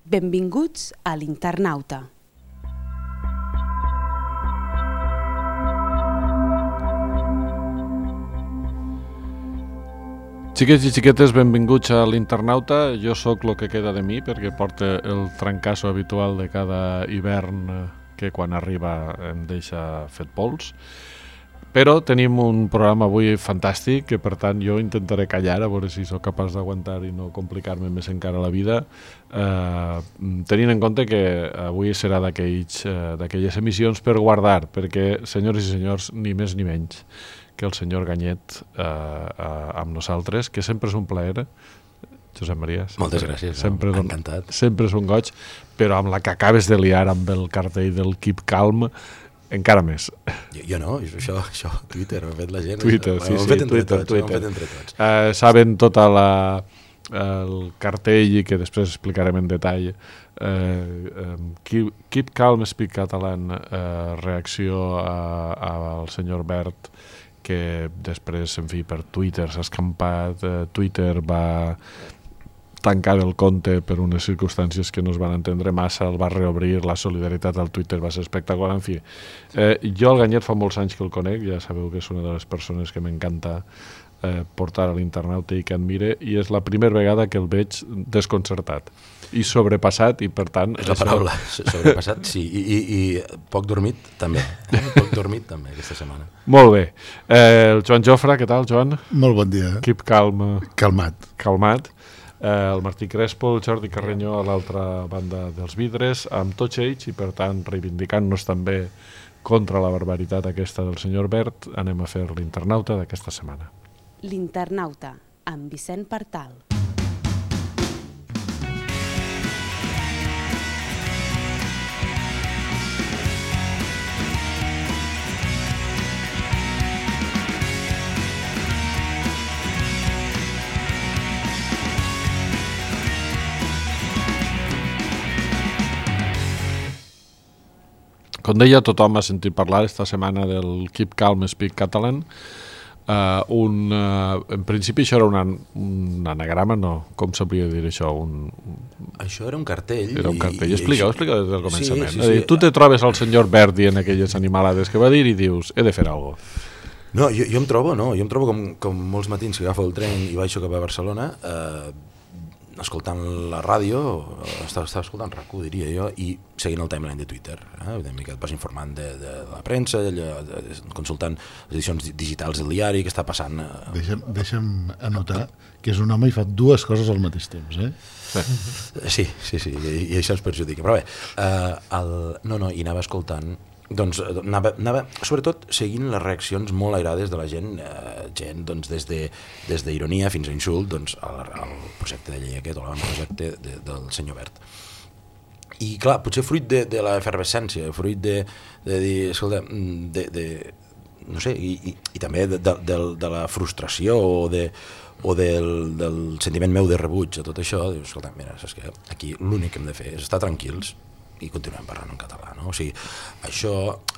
Benvinguts a l'Internauta. Xiquets i xiquetes, benvinguts a l'Internauta. Jo sóc lo que queda de mi, perquè porta el trancasso habitual de cada hivern que quan arriba em deixa fet pols. Però tenim un programa avui fantàstic, que per tant jo intentaré callar, a veure si sóc capaç d'aguantar i no complicar-me més encara la vida, tenint en compte que avui serà d'aquelles emissions per guardar, perquè, senyores i senyors, ni més ni menys que el senyor Ganyet amb nosaltres, que sempre és un plaer. Josep Maria. Moltes gràcies, encantat. Sempre és un goig, però amb la que acabes de liar amb el cartell del Keep Calm, encara més. Jo no, això Twitter, ho ha fet la gent. Twitter, sí, Twitter. Saben tot el cartell i que després explicarem en detall. Keep Calm, Speak Catalan, reacció al senyor Bert, que després, en fi, per Twitter s'ha escampat. Twitter va tancar el compte per unes circumstàncies que no es van entendre massa, el va reobrir, la solidaritat al Twitter va ser espectacular, en fi. Jo el Ganyet fa molts anys que el conec, ja sabeu que és una de les persones que m'encanta portar a l'Internauta i que admire, i és la primera vegada que el veig desconcertat i sobrepassat, i per tant... És la paraula, sobrepassat, sí, i poc dormit també, aquesta setmana. Molt bé. El Joan Jofre, què tal, Joan? Molt bon dia. Keep calm. Calmat. El Martí Crespo, el Jordi Carrenyó a l'altra banda dels vidres, amb tots ells, i per tant reivindicant-nos també contra la barbaritat aquesta del senyor Bert, anem a fer l'Internauta d'aquesta setmana. L'Internauta, amb Vicent Partal. Com deia, tothom ha sentit parlar esta setmana del Keep Calm, Speak Catalan. En principi això era un anagrama, no? Com s'hauria de dir això? Això era un cartell. Era un cartell. Explica des del començament. Sí. Tu te trobes al senyor Bert dient aquelles animalades que va dir i dius, he de fer alguna cosa. No, jo em trobo com molts matins que agafo el tren i baixo cap a Barcelona, escoltant la ràdio, estava escoltant RAC1, diria jo, i seguint el timeline de Twitter, una mica et vas informant de la premsa, consultant les edicions digitals del diari, què està passant. Deixa'm anotar que és un home i fa dues coses al mateix temps, Sí, i això ens perjudica, però bé, i anava escoltant. Doncs anava sobretot seguint les reaccions molt airades de la gent, doncs, des d'ironia fins a insult, doncs, al projecte de llei aquest, o l'avantprojecte del senyor Bert. I clar, potser fruit de l'efervescència, fruit de dir, escolta, no sé, i també de la frustració o del sentiment meu de rebuig a tot això, dius, escolta, mira, saps què? Aquí l'únic que hem de fer és estar tranquils i continuem parlant en català, no? O sigui, això,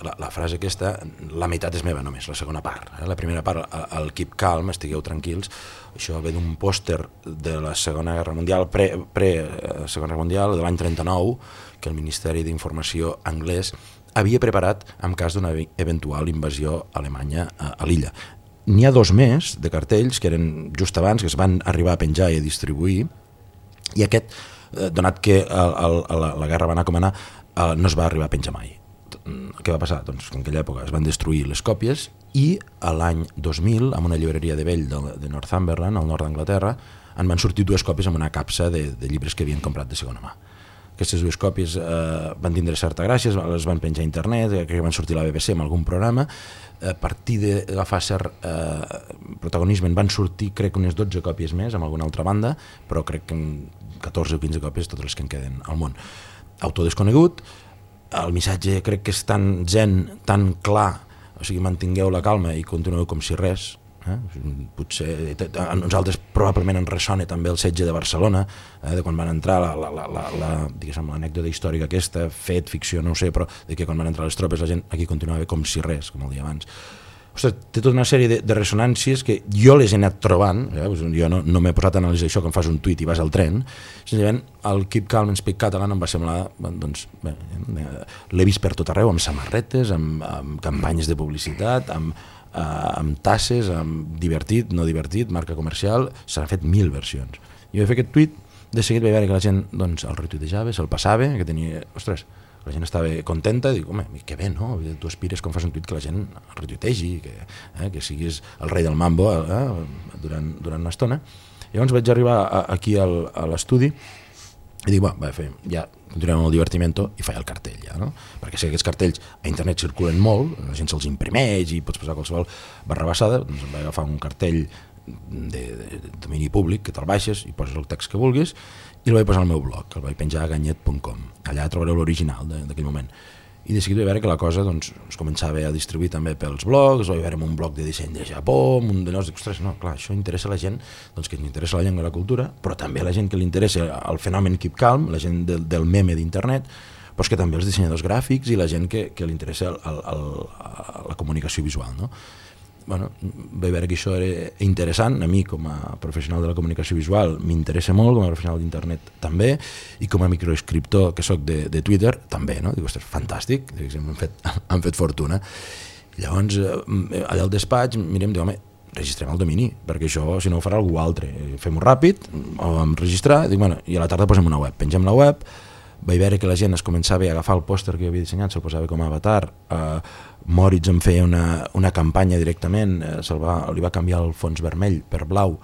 la frase aquesta, la meitat és meva només, la segona part. La primera part, el Keep Calm, estigueu tranquils, això ve d'un pòster de la Segona Guerra Mundial, pre-Segona Guerra Mundial, de l'any 39, que el Ministeri d'Informació anglès havia preparat en cas d'una eventual invasió alemanya a l'illa. N'hi ha dos més de cartells que eren just abans, que es van arribar a penjar i a distribuir, i aquest, donat que la guerra va anar com anar, no es va arribar a penjar mai. Què va passar? Doncs que en aquella època es van destruir les còpies i a l'any 2000, en una llibreria de vell de Northumberland, al nord d'Anglaterra, en van sortir dues còpies amb una capsa de llibres que havien comprat de segona mà. Aquestes dues còpies van tindre certa gràcia, les van penjar a internet, que van sortir a la BBC amb algun programa. A partir d'agafar cert protagonisme en van sortir, crec, unes 12 còpies més amb alguna altra banda, però crec que 14 o 15 còpies totes les que en queden al món. Autor desconegut, el missatge crec que és tan zen, tan clar, o sigui, mantingueu la calma i continueu com si res. Potser a nosaltres probablement ens ressona també el setge de Barcelona, de quan van entrar l'anècdota històrica aquesta, fet, ficció, no ho sé, però de que quan van entrar les tropes la gent aquí continuava com si res, com el dia abans. ostres, té tota una sèrie de ressonàncies que jo les he anat trobant, jo no m'he posat a analitzar això quan fas un tuit i vas al tren, senzillament el Keep Calm and Speak Catalan em va semblar, doncs, l'he vist per tot arreu, amb samarretes, amb campanyes de publicitat, amb tasses, amb divertit, no divertit, marca comercial, s'han fet 1000 versions. Jo he fet aquest tuit, de seguit vaig veure que la gent doncs, el retuitejava, se'l passava, que tenia, ostres, la gent estava contenta, dic, home, que bé, no? Tu aspires quan fas un tuit que la gent el retuitegi, que siguis el rei del mambo durant una estona. Llavors vaig arribar aquí a l'estudi i dic, ja continuem amb el divertimento i faig el cartell, ja, no? Perquè sé que aquests cartells a internet circulen molt, la gent se'ls imprimeix i pots posar qualsevol barrabassada, doncs em vaig agafar un cartell de domini públic que te'l baixes i poses el text que vulguis i el vaig posar al meu blog, el vaig penjar a ganyet.com. Allà trobareu l'original d'aquell moment. I de seguida vaig veure que la cosa doncs, es començava a distribuir també pels blogs, vaig veure un blog de disseny de Japó, un de nous, ostres, no, clar, això interessa a la gent, doncs que li interessa la llengua i la cultura, però també a la gent que li interessa el fenomen Keep Calm, la gent del meme d'internet, però que també els dissenyadors gràfics i la gent que li interessa la comunicació visual, no? Bueno, vaig veure que això era interessant, a mi com a professional de la comunicació visual m'interessa molt, com a professional d'internet també, i com a microescriptor que soc de Twitter també, no? Dic, ostres, fantàstic, han fet fortuna. Llavors, allà al despatx mirem, dic, home, registrem el domini, perquè això, si no ho farà algú altre, fem-ho ràpid, ho vam registrar, dic, bueno, i a la tarda posem una web, pengem la web, vaig veure que la gent es començava a agafar el pòster que jo havia dissenyat, se'l posava com a avatar, Moritz en feia una campanya directament, li va canviar el fons vermell per blau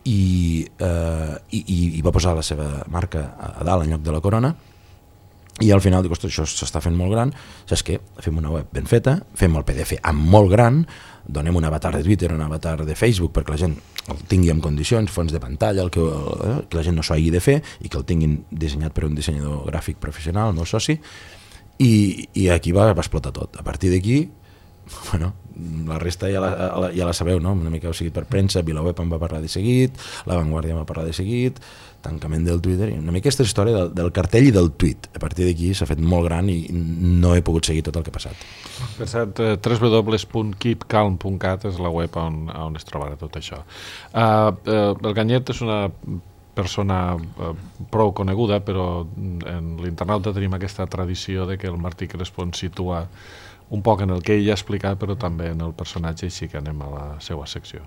i va posar la seva marca a dalt en lloc de la corona, i al final dic, ostres, això s'està fent molt gran, saps què? Fem una web ben feta, fem el PDF amb molt gran, donem un avatar de Twitter, un avatar de Facebook perquè la gent el tingui en condicions, fons de pantalla, que la gent no s'ho hagi de fer i que el tinguin dissenyat per un dissenyador gràfic professional, el meu soci, i aquí va explotar tot. A partir d'aquí, bueno, la resta ja la sabeu, no? Una mica ho seguit per premsa, VilaWeb en va parlar de seguit, La Vanguardia va parlar de seguit, tancament del Twitter, i una mica aquesta història del cartell i del tuit. A partir d'aquí s'ha fet molt gran i no he pogut seguir tot el que ha passat. Per cert, www.keepcalm.cat és la web on es trobarà tot això. El Ganyet és una persona prou coneguda, però en l'internauta tenim aquesta tradició de que el Martí Crespo ens situa un poc en el que ell ha explicat, però també en el personatge, així que anem a la seva secció.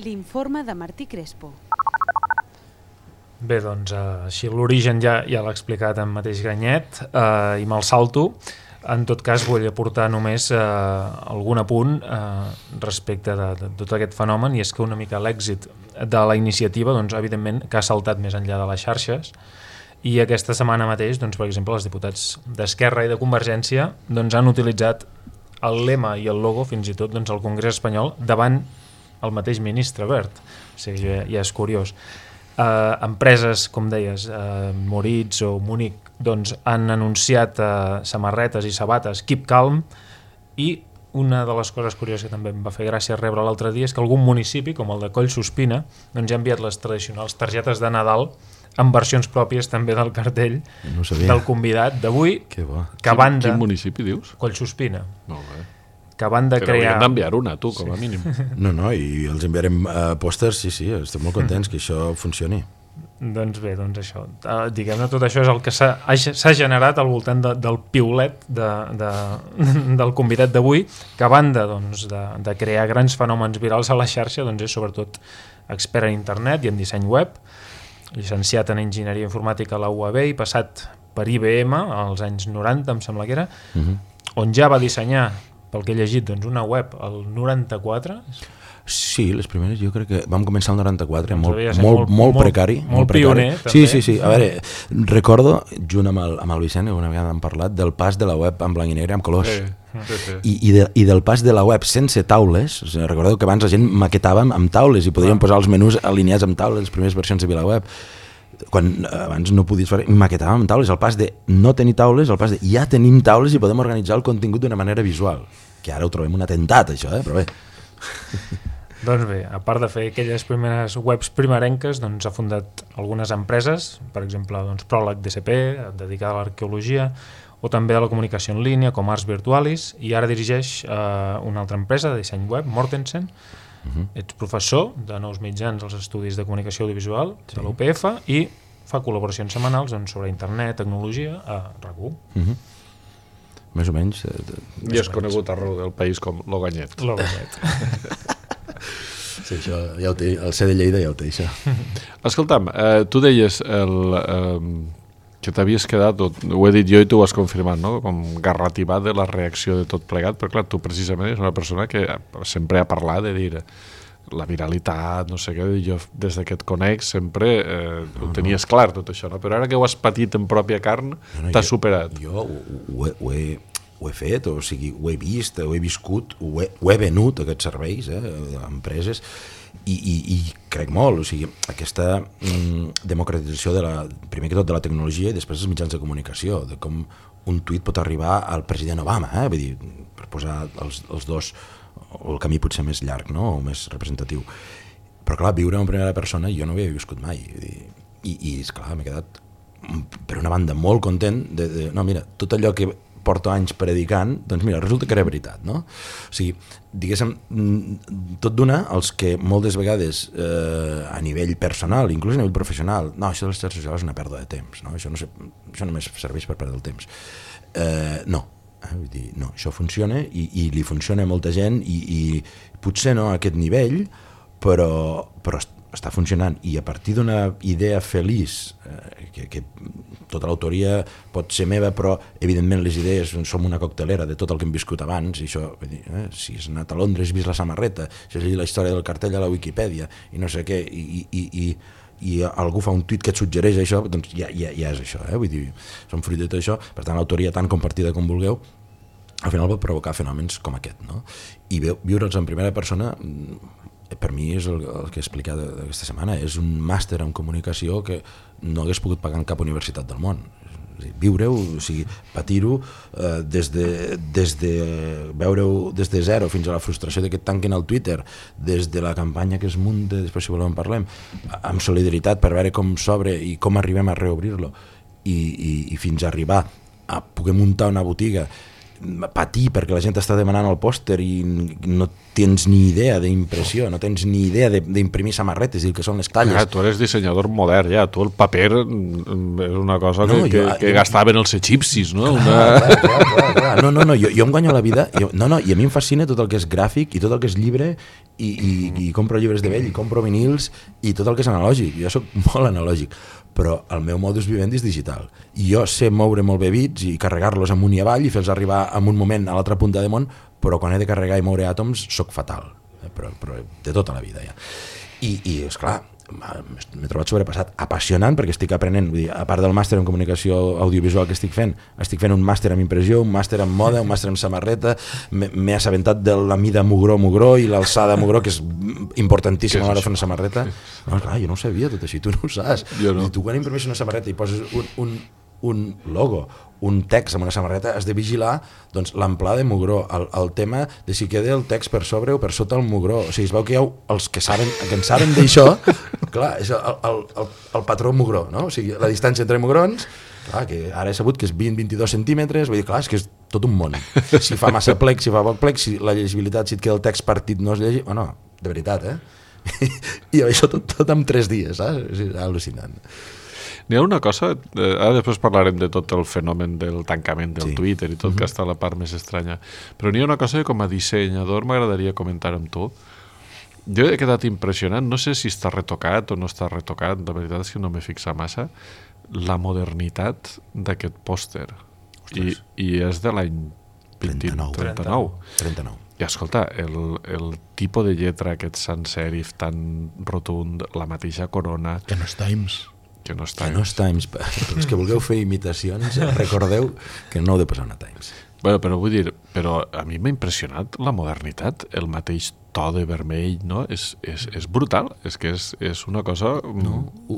L'informe de Martí Crespo. Bé, doncs així l'origen ja l'ha explicat en mateix Ganyet i me'l salto. En tot cas vull aportar només algun apunt respecte de tot aquest fenomen, i és que una mica l'èxit de la iniciativa, doncs, evidentment, que ha saltat més enllà de les xarxes, i aquesta setmana mateix, doncs, per exemple, els diputats d'Esquerra i de Convergència doncs, han utilitzat el lema i el logo, fins i tot doncs, al Congrés espanyol, davant el mateix ministre Wert. O sigui, ja és curiós. Empreses, com deies, Moritz o Múnich, doncs, han anunciat samarretes i sabates Keep Calm, i una de les coses curioses que també em va fer gràcia rebre l'altre dia és que algun municipi, com el de Collsospina, doncs, ja ha enviat les tradicionals targetes de Nadal amb versions pròpies també del cartell del convidat d'avui, que a banda... Quin municipi dius? Collsospina. Molt bé. Que a banda però crear... hauríem d'enviar una, tu, com a mínim. No, i els enviarem pòsters, sí, estem molt contents que això funcioni. Doncs bé, doncs això. Diguem-ne, tot això és el que s'ha generat al voltant del piulet del convidat d'avui, que a banda doncs, de crear grans fenòmens virals a la xarxa, doncs és sobretot expert en internet i en disseny web, llicenciat en enginyeria informàtica a la UAB i passat per IBM als anys 90, em sembla que era, on ja va dissenyar, pel que he llegit, doncs, una web al 94. Sí, les primeres jo crec que vam començar el 94, molt precari. Molt pioner, també. Sí. A veure, recordo, junt amb el Vicent, una vegada hem parlat, del pas de la web en blanc i negre amb colors. Sí. I del pas de la web sense taules. O sigui, recordeu que abans la gent maquetava amb taules i podíem posar els menús alineats amb taules, les primeres versions de VilaWeb. Quan abans no podies fer, maquetàvem amb taules. El pas de no tenir taules, el pas de ja tenim taules i podem organitzar el contingut d'una manera visual. Que ara ho trobem un atemptat, això, però bé. Doncs bé, a part de fer aquelles primeres webs primerenques, doncs ha fundat algunes empreses, per exemple, doncs, Pròleg DCP, dedicada a l'arqueologia, o també a la comunicació en línia com Ars Virtualis, i ara dirigeix una altra empresa de disseny web, Mortensen. Ets professor de nous mitjans als estudis de comunicació audiovisual de la UPF i fa col·laboracions setmanals sobre internet, tecnologia a RAC1. Més o menys. I és conegut arreu del país com Loganyet. Sí, això ja ho té, el C de Lleida ja ho té, això. Escolta'm, tu deies que t'havies quedat, ho he dit jo i tu ho has confirmat, no? Com garrativat de la reacció de tot plegat, però clar, tu precisament és una persona que sempre ha parlat de dir la viralitat, no sé què, jo des que et conec sempre ho tenies clar tot això, no? Però ara que ho has patit en pròpia carn, t'has superat. Jo ho he fet, o sigui, ho he vist, ho he viscut, ho he venut, aquests serveis, a empreses, i crec molt, o sigui, aquesta democratització primer que tot de la tecnologia i després dels mitjans de comunicació, de com un tuit pot arribar al president Obama, vull dir, per posar els dos, o el camí potser més llarg, no?, o més representatiu. Però clar, viure en primera persona jo no ho havia viscut mai, i esclar, m'he quedat per una banda molt content no, mira, tot allò que porto anys predicant, doncs mira, resulta que era veritat, no? O sigui, diguéssim, tot d'una, els que moltes vegades a nivell personal, inclús a nivell professional, no, això de les xarxes socials és una pèrdua de temps, no? Això només serveix per perdre el temps. No, vull dir, no, això funciona i li funciona a molta gent i potser no a aquest nivell, però està funcionant, i a partir d'una idea feliç, que tota l'autoria pot ser meva, però evidentment les idees som una coctelera de tot el que hem viscut abans, i això, si has anat a Londres, has vist la samarreta, si has llegit la història del cartell a la Wikipedia, i no sé què, i algú fa un tuit que et suggereix això, doncs ja és això, vull dir, som fruit de tot això, per tant l'autoria tan compartida com vulgueu, al final pot provocar fenòmens com aquest, no? I viure'ls en primera persona, per mi és el que he explicat aquesta setmana, és un màster en comunicació que no hagués pogut pagar en cap universitat del món. Viure-ho, o sigui, patir-ho, des de veure-ho des de zero fins a la frustració de que et tanquen al Twitter, des de la campanya que es munta, després si voleu en parlem, amb solidaritat per veure com s'obre i com arribem a reobrir-lo, i fins a arribar a poder muntar una botiga, patir perquè la gent està demanant el pòster i no tens ni idea d'impressió, no tens ni idea d'imprimir samarretes i el que són les talles. Tu eres dissenyador modern, ja. Tu el paper és una cosa que gastaven els egipcis, no? Clar. No, jo em guanyo la vida, i a mi em fascina tot el que és gràfic i tot el que és llibre, i compro llibres de vell, i compro vinils, i tot el que és analògic. Jo soc molt analògic, però el meu modus vivendi és digital. I jo sé moure molt bé bits i carregar-los amunt i avall i fer-los arribar en un moment a l'altra punta de món, però quan he de carregar i moure àtoms soc fatal, però de tota la vida ja. I esclar, m'he trobat sobrepassat, apassionant, perquè estic aprenent, vull dir, a part del màster en comunicació audiovisual que estic fent un màster en impressió, un màster en moda, un màster en samarreta, m'he assabentat de la mida mugró i l'alçada mugró, que és importantíssima a l'hora de fer una samarreta. No, clar, jo no ho sabia tot així, tu no ho saps. No. Tu quan imprimeixes una samarreta i poses un logo, un text amb una samarreta, has de vigilar doncs, l'amplada de mugró, el tema de si queda el text per sobre o per sota el mugró. O sigui, es veu que hi ha els que en saben d'això, clar, és el patró mugró, no? O sigui, la distància entre mugrons, clar, que ara he sabut que és 20-22 centímetres, vull dir, clar, és que és tot un món. Si fa massa plec, si fa poc plec, si la llegibilitat, si et queda el text partit no es llegit, no, de veritat, I això tot en 3 dies, és al·lucinant. N'hi ha una cosa, ara després parlarem de tot el fenomen del tancament del Twitter i tot, que està la part més estranya, però n'hi ha una cosa que com a dissenyador m'agradaria comentar amb tu. Jo he quedat impressionat, no sé si està retocat o no està retocat, la veritat és que no m'he fixat massa, la modernitat d'aquest pòster. I és de l'any 39. I escolta, el tipus de lletra, aquest sans serif tan rotund, la mateixa corona... Que no és Times. Que no és Times. Els que vulgueu fer imitacions, recordeu que no heu de posar una Times. Bueno, però vull dir, a mi m'ha impressionat la modernitat, el mateix to de vermell, no? És brutal, és que és una cosa...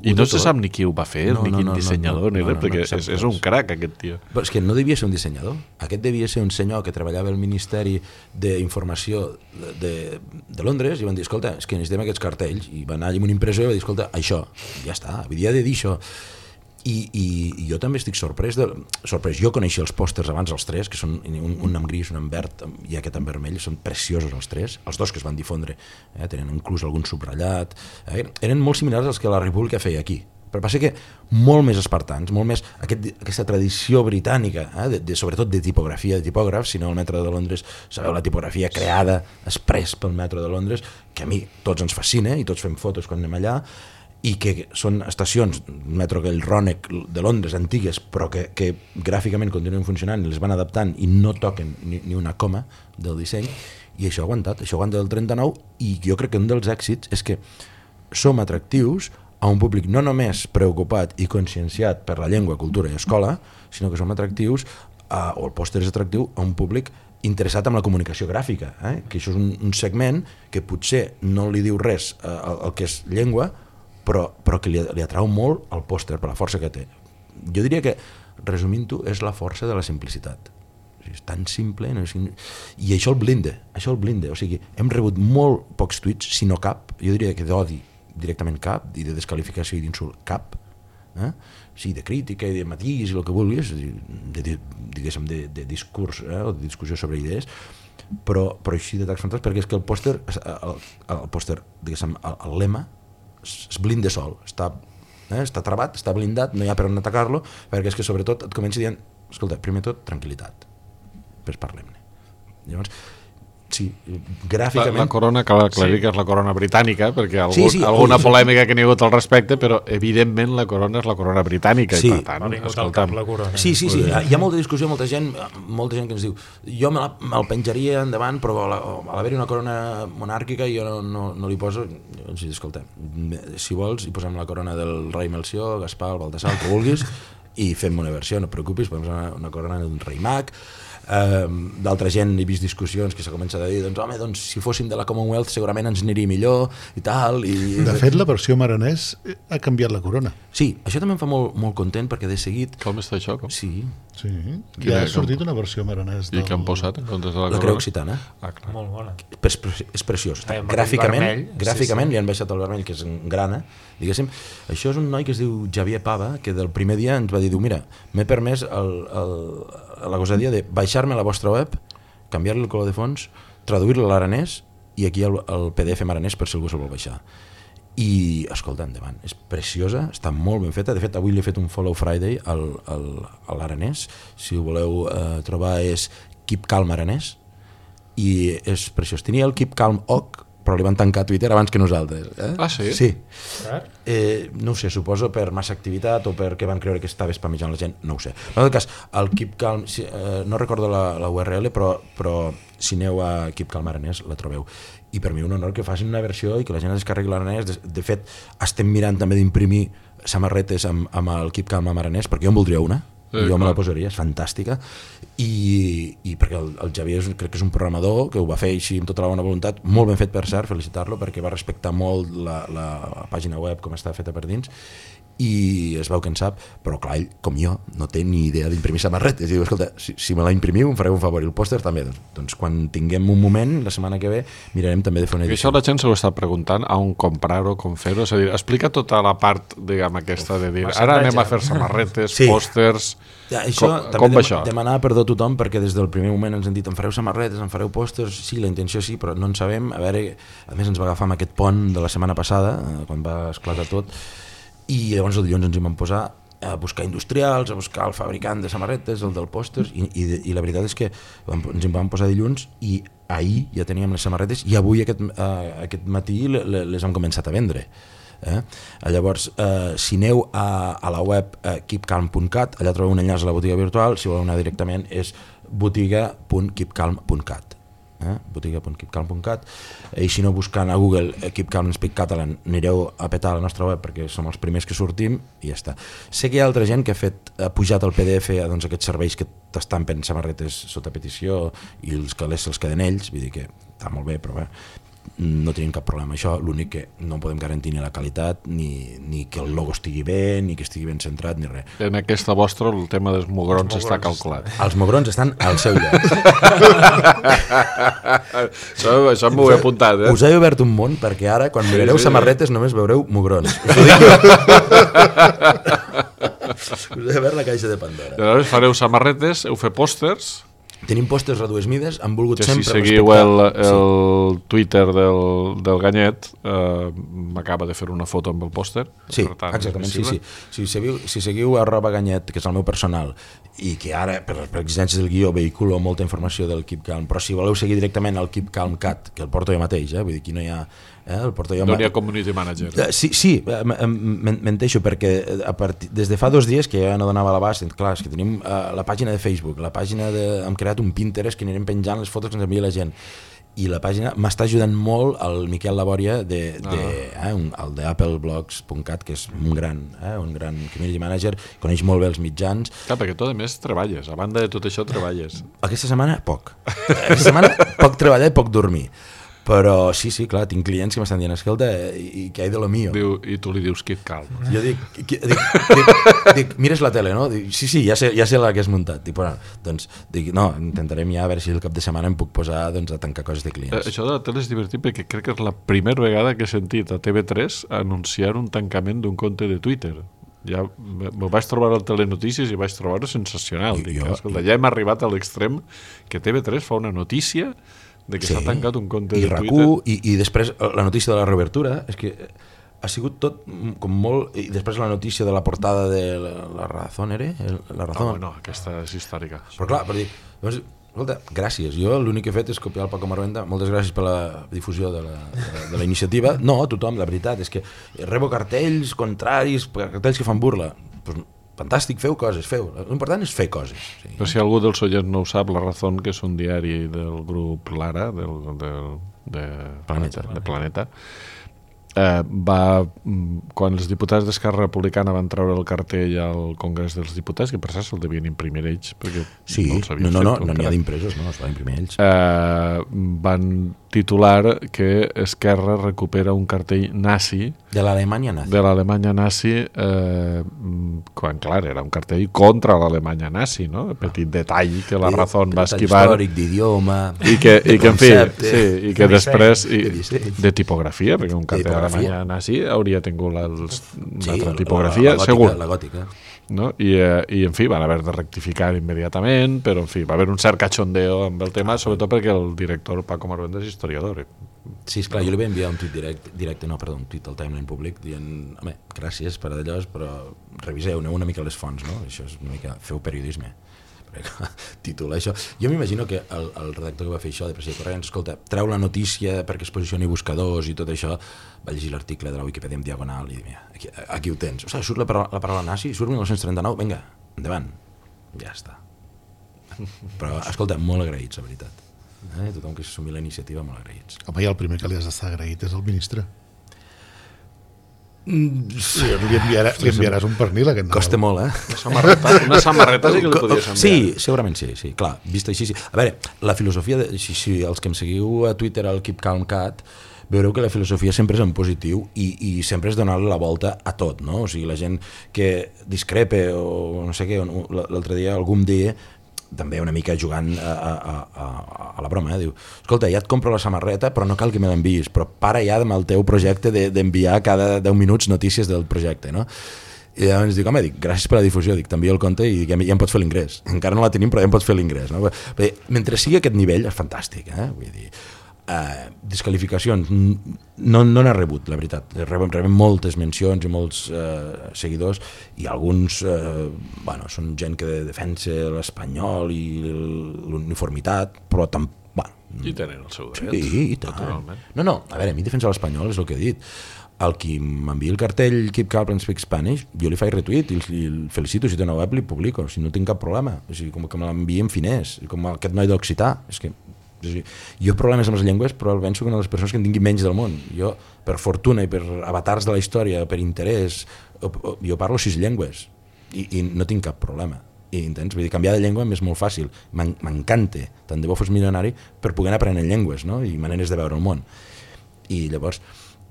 I no se sap ni qui ho va fer, ni quin dissenyador, ni res, perquè és un crac aquest tio. Però és que no devia ser un dissenyador, aquest devia ser un senyor que treballava al Ministeri d'Informació de Londres i van dir, escolta, és que necessitem aquests cartells, i va anar allà amb una impressió i va dir, escolta, això, ja està, havia de dir això. I jo també estic sorprès. Jo coneixia els pòsters abans, els tres, que són un en gris, un en verd i aquest en vermell, són preciosos els tres, els dos que es van difondre, tenen inclús algun subratllat, eren molt similars als que la República feia aquí, però passa que molt més espartans, molt més aquesta tradició britànica, sobretot de tipografia, de tipògrafs. Si no, el metro de Londres, sabeu, la tipografia creada express pel metro de Londres, que a mi tots ens fascina i tots fem fotos quan anem allà, i que són estacions, metro que el Rònec de Londres, antigues, però que gràficament continuen funcionant i les van adaptant i no toquen ni una coma del disseny, i això ha aguantat del 39, i jo crec que un dels èxits és que som atractius a un públic no només preocupat i conscienciat per la llengua, cultura i escola, sinó que som atractius, o el pòster és atractiu, a un públic interessat en la comunicació gràfica, que això és un segment que potser no li diu res al que és llengua, però que li atrau molt el pòster per la força que té. Jo diria que, resumint-ho, és la força de la simplicitat. És tan simple, i això el blinde. O sigui, hem rebut molt pocs tuits, si no cap, jo diria que d'odi directament cap, i de desqualificació i d'insult cap, sí, de crítica i de matís i el que vulguis, diguéssim, de discurs o de discussió sobre idees, però així de tacs fantàstics, perquè és que el pòster, diguéssim, el lema es blinda sol, està travat, està blindat, no hi ha per on atacar-lo, perquè és que sobretot et comença dient, escolta, primer tot, tranquil·litat, després parlem-ne. Llavors, sí, gràficament... La corona, cal aclarir que és la corona britànica, perquè alguna polèmica que n'hi ha hagut al respecte, però evidentment la corona és la corona britànica, i per tant, escolta'm... Sí, hi ha molta discussió, molta gent que ens diu, jo me'l penjaria endavant, però a l'haver-hi una corona monàrquica jo no li poso... Llavors, escolta, si vols, hi posem la corona del rei Melcior, Gaspar, Baltasar, el que vulguis, i fem una versió, no et preocupis, posem una corona d'un rei mag. D'altra gent he vist discussions que s'ha començat a dir, doncs si fóssim de la Commonwealth segurament ens aniria millor i tal. De fet, la versió maranès ha canviat la corona. Sí, això també em fa molt content, perquè de seguit... Com està això? Sí, ja ha sortit una versió maranès. I què han posat en comptes de la corona? La creu occitana. Clar. Molt bona. És preciós. Gràficament li han baixat el vermell, que és en grana, diguéssim. Això és un noi que es diu Xavier Pava, que del primer dia ens va dir, mira, m'he permès la gosadia de baixar-me a la vostra web, canviar-li el color de fons, traduir-lo a l'aranès, i aquí el PDF maranès per si algú se'l vol baixar. I, escolta, endavant, és preciosa, està molt ben feta. De fet, avui li he fet un Follow Friday a l'aranès, si ho voleu trobar és Keep Calm Aranès, i és preciós. Tenia el Keep Calm OC, però li van tancar Twitter abans que nosaltres. Ah, sí? Sí. No ho sé, suposo per massa activitat o perquè van creure que estava spamejant la gent, no ho sé. En tot cas, el Keep Calm, no recordo la URL, però si aneu a Keep Calm Aranès la trobeu. I per mi un honor que facin una versió i que la gent es descarregui l'aranès. De fet, estem mirant també d'imprimir samarretes amb el Keep Calm Aranès, perquè jo en voldria una. Jo me la posaria, és fantàstica, i perquè el Xavier crec que és un programador que ho va fer així amb tota la bona voluntat, molt ben fet, per cert, felicitar-lo, perquè va respectar molt la pàgina web com està feta per dins, i es veu que en sap, però clar, ell, com jo, no té ni idea d'imprimir samarretes, i diu, escolta, si me la imprimiu em fareu un favor, i el pòster també, doncs quan tinguem un moment, la setmana que ve, mirarem també de fer una edició. I això la gent se ho està preguntant, a on comprar-ho, com fer-ho, és a dir, explica tota la part, diguem, aquesta de dir, ara anem a fer samarretes, pòsters... Això també demanar perdó a tothom, perquè des del primer moment ens han dit, em fareu samarretes, em fareu pòsters, sí, la intenció sí, però no en sabem. A veure, a més ens va agafar amb aquest pont de la setmana passada, quan va esclatar tot, i llavors el dilluns ens hi vam posar a buscar industrials, a buscar el fabricant de samarretes, el del pòsters, i la veritat és que ens hi vam posar dilluns, i ahir ja teníem les samarretes, i avui aquest matí les hem començat a vendre. Llavors, si aneu a la web keepcalm.cat, allà trobeu un enllaç a la botiga virtual. Si voleu anar directament és botiga.keepcalm.cat, botiga.keepcalm.cat, i si no, buscant a Google Keep Calm Speak Catalan, anireu a petar la nostra web, perquè som els primers que sortim, i ja està. Sé que hi ha altra gent que ha pujat el PDF a aquests serveis que t'estampen samarretes sota petició, i els calés se'ls queden ells, vull dir que està molt bé, però bé, no tenim cap problema. Això, l'únic que no podem garantir ni la qualitat, ni que el logo estigui bé, ni que estigui ben centrat, ni res. En aquesta vostra el tema dels mugrons està calculat. Els mugrons estan al seu lloc. Això m'ho he apuntat, Us he obert un món, perquè ara, quan mirareu samarretes, només veureu mugrons. Us ho dic jo. Us he obert la caixa de Pandora. Llavors fareu samarretes, heu fet pòsters. Tenim pòsters a dues mides, han volgut Que si sempre seguiu respectar... el Twitter del Ganyet, m'acaba de fer una foto amb el pòster. Sí, per tant, exactament, és sí. visible. Si seguiu @Ganyet, que és el meu personal, i que ara, per exigències del guió, vehiculo molta informació del Keep Calm, però si voleu seguir directament el Keep Calm Cat, que el porto jo mateix, vull dir, aquí no hi ha... el porto jo No hi ha community manager. Sí, menteixo, perquè des de fa 2 dies que ja no donava l'abast, clar, és que tenim la pàgina de Facebook, la pàgina hem creat un Pinterest que anirem penjant les fotos que ens envia la gent, i la pàgina m'està ajudant molt el Miquel Labòria el d'AppleBlogs.cat, que és un gran community manager, coneix molt bé els mitjans. Clar, perquè tu a més treballes, a banda de tot això treballes. Aquesta setmana poc. Aquesta setmana poc treballar i poc dormir. Però sí, clar, tinc clients que m'estan dient, escolta, i què hi de lo mío? I tu li dius Keep Calm. Jo dic, mires la tele, no? Dic, sí, ja sé la que has muntat. Dic, bueno, doncs, no, intentarem ja a veure si el cap de setmana em puc posar a tancar coses de clients. Això de la tele és divertit perquè crec que és la primera vegada que he sentit a TV3 anunciar un tancament d'un compte de Twitter. Ja m'ho vaig trobar al Telenotícies i vaig trobar-ho sensacional. Escolta, ja hem arribat a l'extrem que TV3 fa una notícia de que s'ha tancat un compte de Twitter. I després la notícia de la reobertura és que ha sigut tot com molt... I després la notícia de la portada de La Razón, La Razón. No, aquesta és històrica. Però clar, per dir... Llavors, escolta, gràcies. Jo l'únic que he fet és copiar el Paco Marvenda. Moltes gràcies per la difusió de la iniciativa. No, tothom, la veritat, és que rebo cartells contraris, cartells que fan burla. Doncs fantàstic, feu coses, feu. L'important és fer coses. Sí. Però si algú dels oients no ho sap, La Razón, que és un diari del grup Lara, de Planeta, quan els diputats d'Esquerra Republicana van treure el cartell al Congrés dels Diputats, que per cert se'l devien imprimir ells, perquè no els havien fet. No n'hi ha d'impresos, no, es va imprimir ells. Van titular que Esquerra recupera un cartell nazi de l'Alemanya nazi, quan, clar, era un cartell contra l'Alemanya nazi, no? Petit detall que La Razón va esquivar. Històric, d'idioma, i que en fi, i que després de tipografia, perquè un cartell d'Alemanya nazi hauria tingut una altra tipografia, segur. La gòtica. No? I en fi, van haver de rectificar immediatament, però en fi, va haver un cert cachondeo amb el tema, sobretot perquè el director Paco Marvenda és historiador. Sí, esclar, jo li vaig enviar un tuit un tuit al Timeline públic dient, home, gràcies per allò, però reviseu una mica les fonts, no? Això és una mica, feu periodisme. Títol, això. Jo m'imagino que el redactor que va fer això de Pressa i Corrents, escolta, treu la notícia perquè es posicioni buscadors i tot això, va llegir l'article de la Wikipedia en diagonal i mira, aquí ho tens. O sigui, surt la paraula nazi, surt 1939, vinga, endavant. Ja està. Però, escolta, molt agraïts, la veritat. Tothom que s'assumi la iniciativa, molt agraïts. Home, i el primer que li has d'estar agraït és el ministre. Sí, li enviaràs un pernil aquest Nadal. Costa molt, Una samarreta sí que li podies enviar. Sí, segurament sí, clar, vist així sí. A veure, la filosofia, si els que em seguiu a Twitter al Keep Calm Cat, veureu que la filosofia sempre és en positiu i sempre és donar-li la volta a tot, no? O sigui, la gent que discrepa o no sé què, l'altre dia algú em deia, també una mica jugant a la broma, diu, escolta, ja et compro la samarreta però no cal que me l'enviïs, però para ja amb el teu projecte d'enviar cada 10 minuts notícies del projecte, no? I llavors dic, home, gràcies per la difusió, t'envio el compte i ja em pots fer l'ingrés, encara no la tenim però ja em pots fer l'ingrés, no? Mentre sigui aquest nivell és fantàstic, vull dir, desqualificacions no n'ha rebut, la veritat. Rebem moltes mencions i molts seguidors i alguns són gent que defensa l'espanyol i l'uniformitat, però i tenen el seu dret. Sí, i tant. No, a veure, a mi defensar l'espanyol és el que he dit. El qui m'envia el cartell Keep Calm and Speak Spanish, jo li faig retweet i el felicito, si té una web li publico, si no tinc cap problema. O sigui, com que me l'envia en finès, com aquest noi d'Occità, és que jo problemes amb les llengües, però penso que una de les persones que en tingui menys del món. Jo, per fortuna i per avatars de la història, per interès, jo parlo 6 llengües i no tinc cap problema. I entens? Vull dir, canviar de llengua és molt fàcil. M'encanta, tant de bo fos milionari, per poder anar aprenent llengües, no? I maneres de veure el món. I llavors,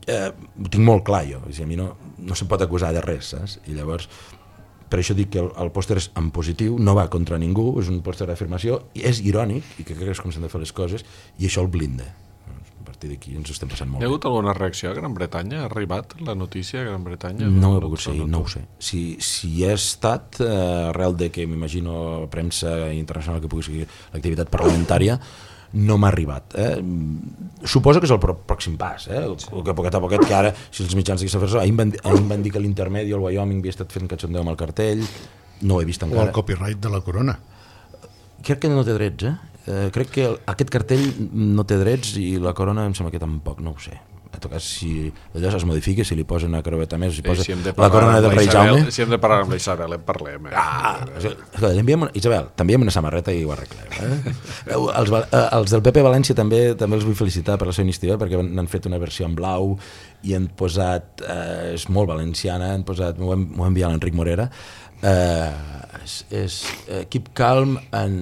ho tinc molt clar jo. A mi no se'm pot acusar de res, saps? I llavors, per això dic que el pòster és en positiu, no va contra ningú, és un pòster d'afirmació, i és irònic, i que crec que és com s'han de fer les coses, i això el blinda. A partir d'aquí ens ho estem passant molt Hi ha bé. hagut alguna reacció a Gran Bretanya? Ha arribat la notícia a Gran Bretanya? No ho he pogut seguir, no ho sé. Si hi ha estat, arrel de que m'imagino premsa internacional que pugui seguir l'activitat parlamentària, no m'ha arribat. Suposo que és el pròxim pas, que poquet a poquet, que ara, si els mitjans d'aquesta persona, ahir van dir que l'Intermedi o el Wyoming havia estat fent cachondeu amb el cartell, no ho he vist O encara. el copyright de la corona. Crec que no té drets, crec que aquest cartell no té drets i la corona em sembla que tampoc, no ho sé. En tot cas, si allò es modifica, si li posen una creueta més, si posa la corona del rei Jaume... Si hem de parlar amb la Isabel, en parlem. Isabel, t'enviem una samarreta i ho arreglem. Els del PP València també els vull felicitar per la seva iniciativa, perquè n'han fet una versió en blau i han posat, és molt valenciana, m'ho ha enviat l'Enric Morera, és Keep Calm en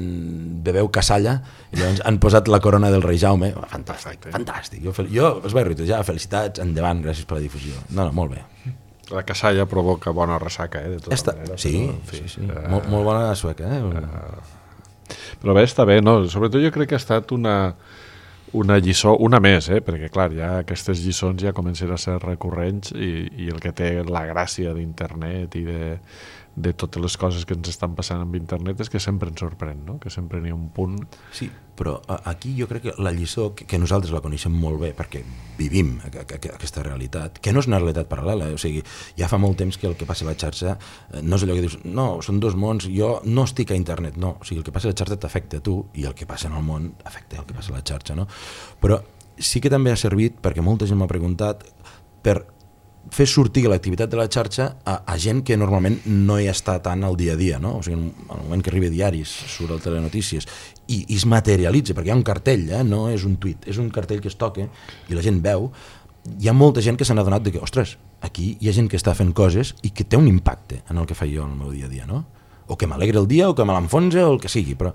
Bebeu Casalla, i llavors han posat la corona del rei Jaume. Fantàstic. Jo us vaig retuitejar, felicitats, endavant, gràcies per la difusió. No, molt bé. La Casalla provoca bona ressaca, de totes maneres. Sí. Molt bona sueca, Però bé, està bé, no? Sobretot jo crec que ha estat una lliçó, una més, perquè clar, ja aquestes lliçons ja comencen a ser recurrents i el que té la gràcia d'internet i de totes les coses que ens estan passant amb internet és que sempre ens sorprèn, no? Que sempre n'hi ha un punt. Sí, però aquí jo crec que la lliçó, que nosaltres la coneixem molt bé perquè vivim aquesta realitat, que no és una realitat paral·lela, o sigui, ja fa molt temps que el que passa a la xarxa no és allò que dius, no, són dos mons, jo no estic a internet, no, o sigui, el que passa a la xarxa t'afecta a tu i el que passa en el món afecta el que passa a la xarxa, no? Però sí que també ha servit, perquè molta gent m'ha preguntat, per fer sortir l'activitat de la xarxa a gent que normalment no hi està tant al dia a dia, no? O sigui, en el moment que arriba a diaris, surt al Telenotícies i es materialitza, perquè hi ha un cartell, no és un tuit, és un cartell que es toca i la gent veu. Hi ha molta gent que se n'ha adonat de que, ostres, aquí hi ha gent que està fent coses i que té un impacte en el que faig jo en el meu dia a dia, no? O que m'alegra el dia, o que me l'enfonsa, o el que sigui, però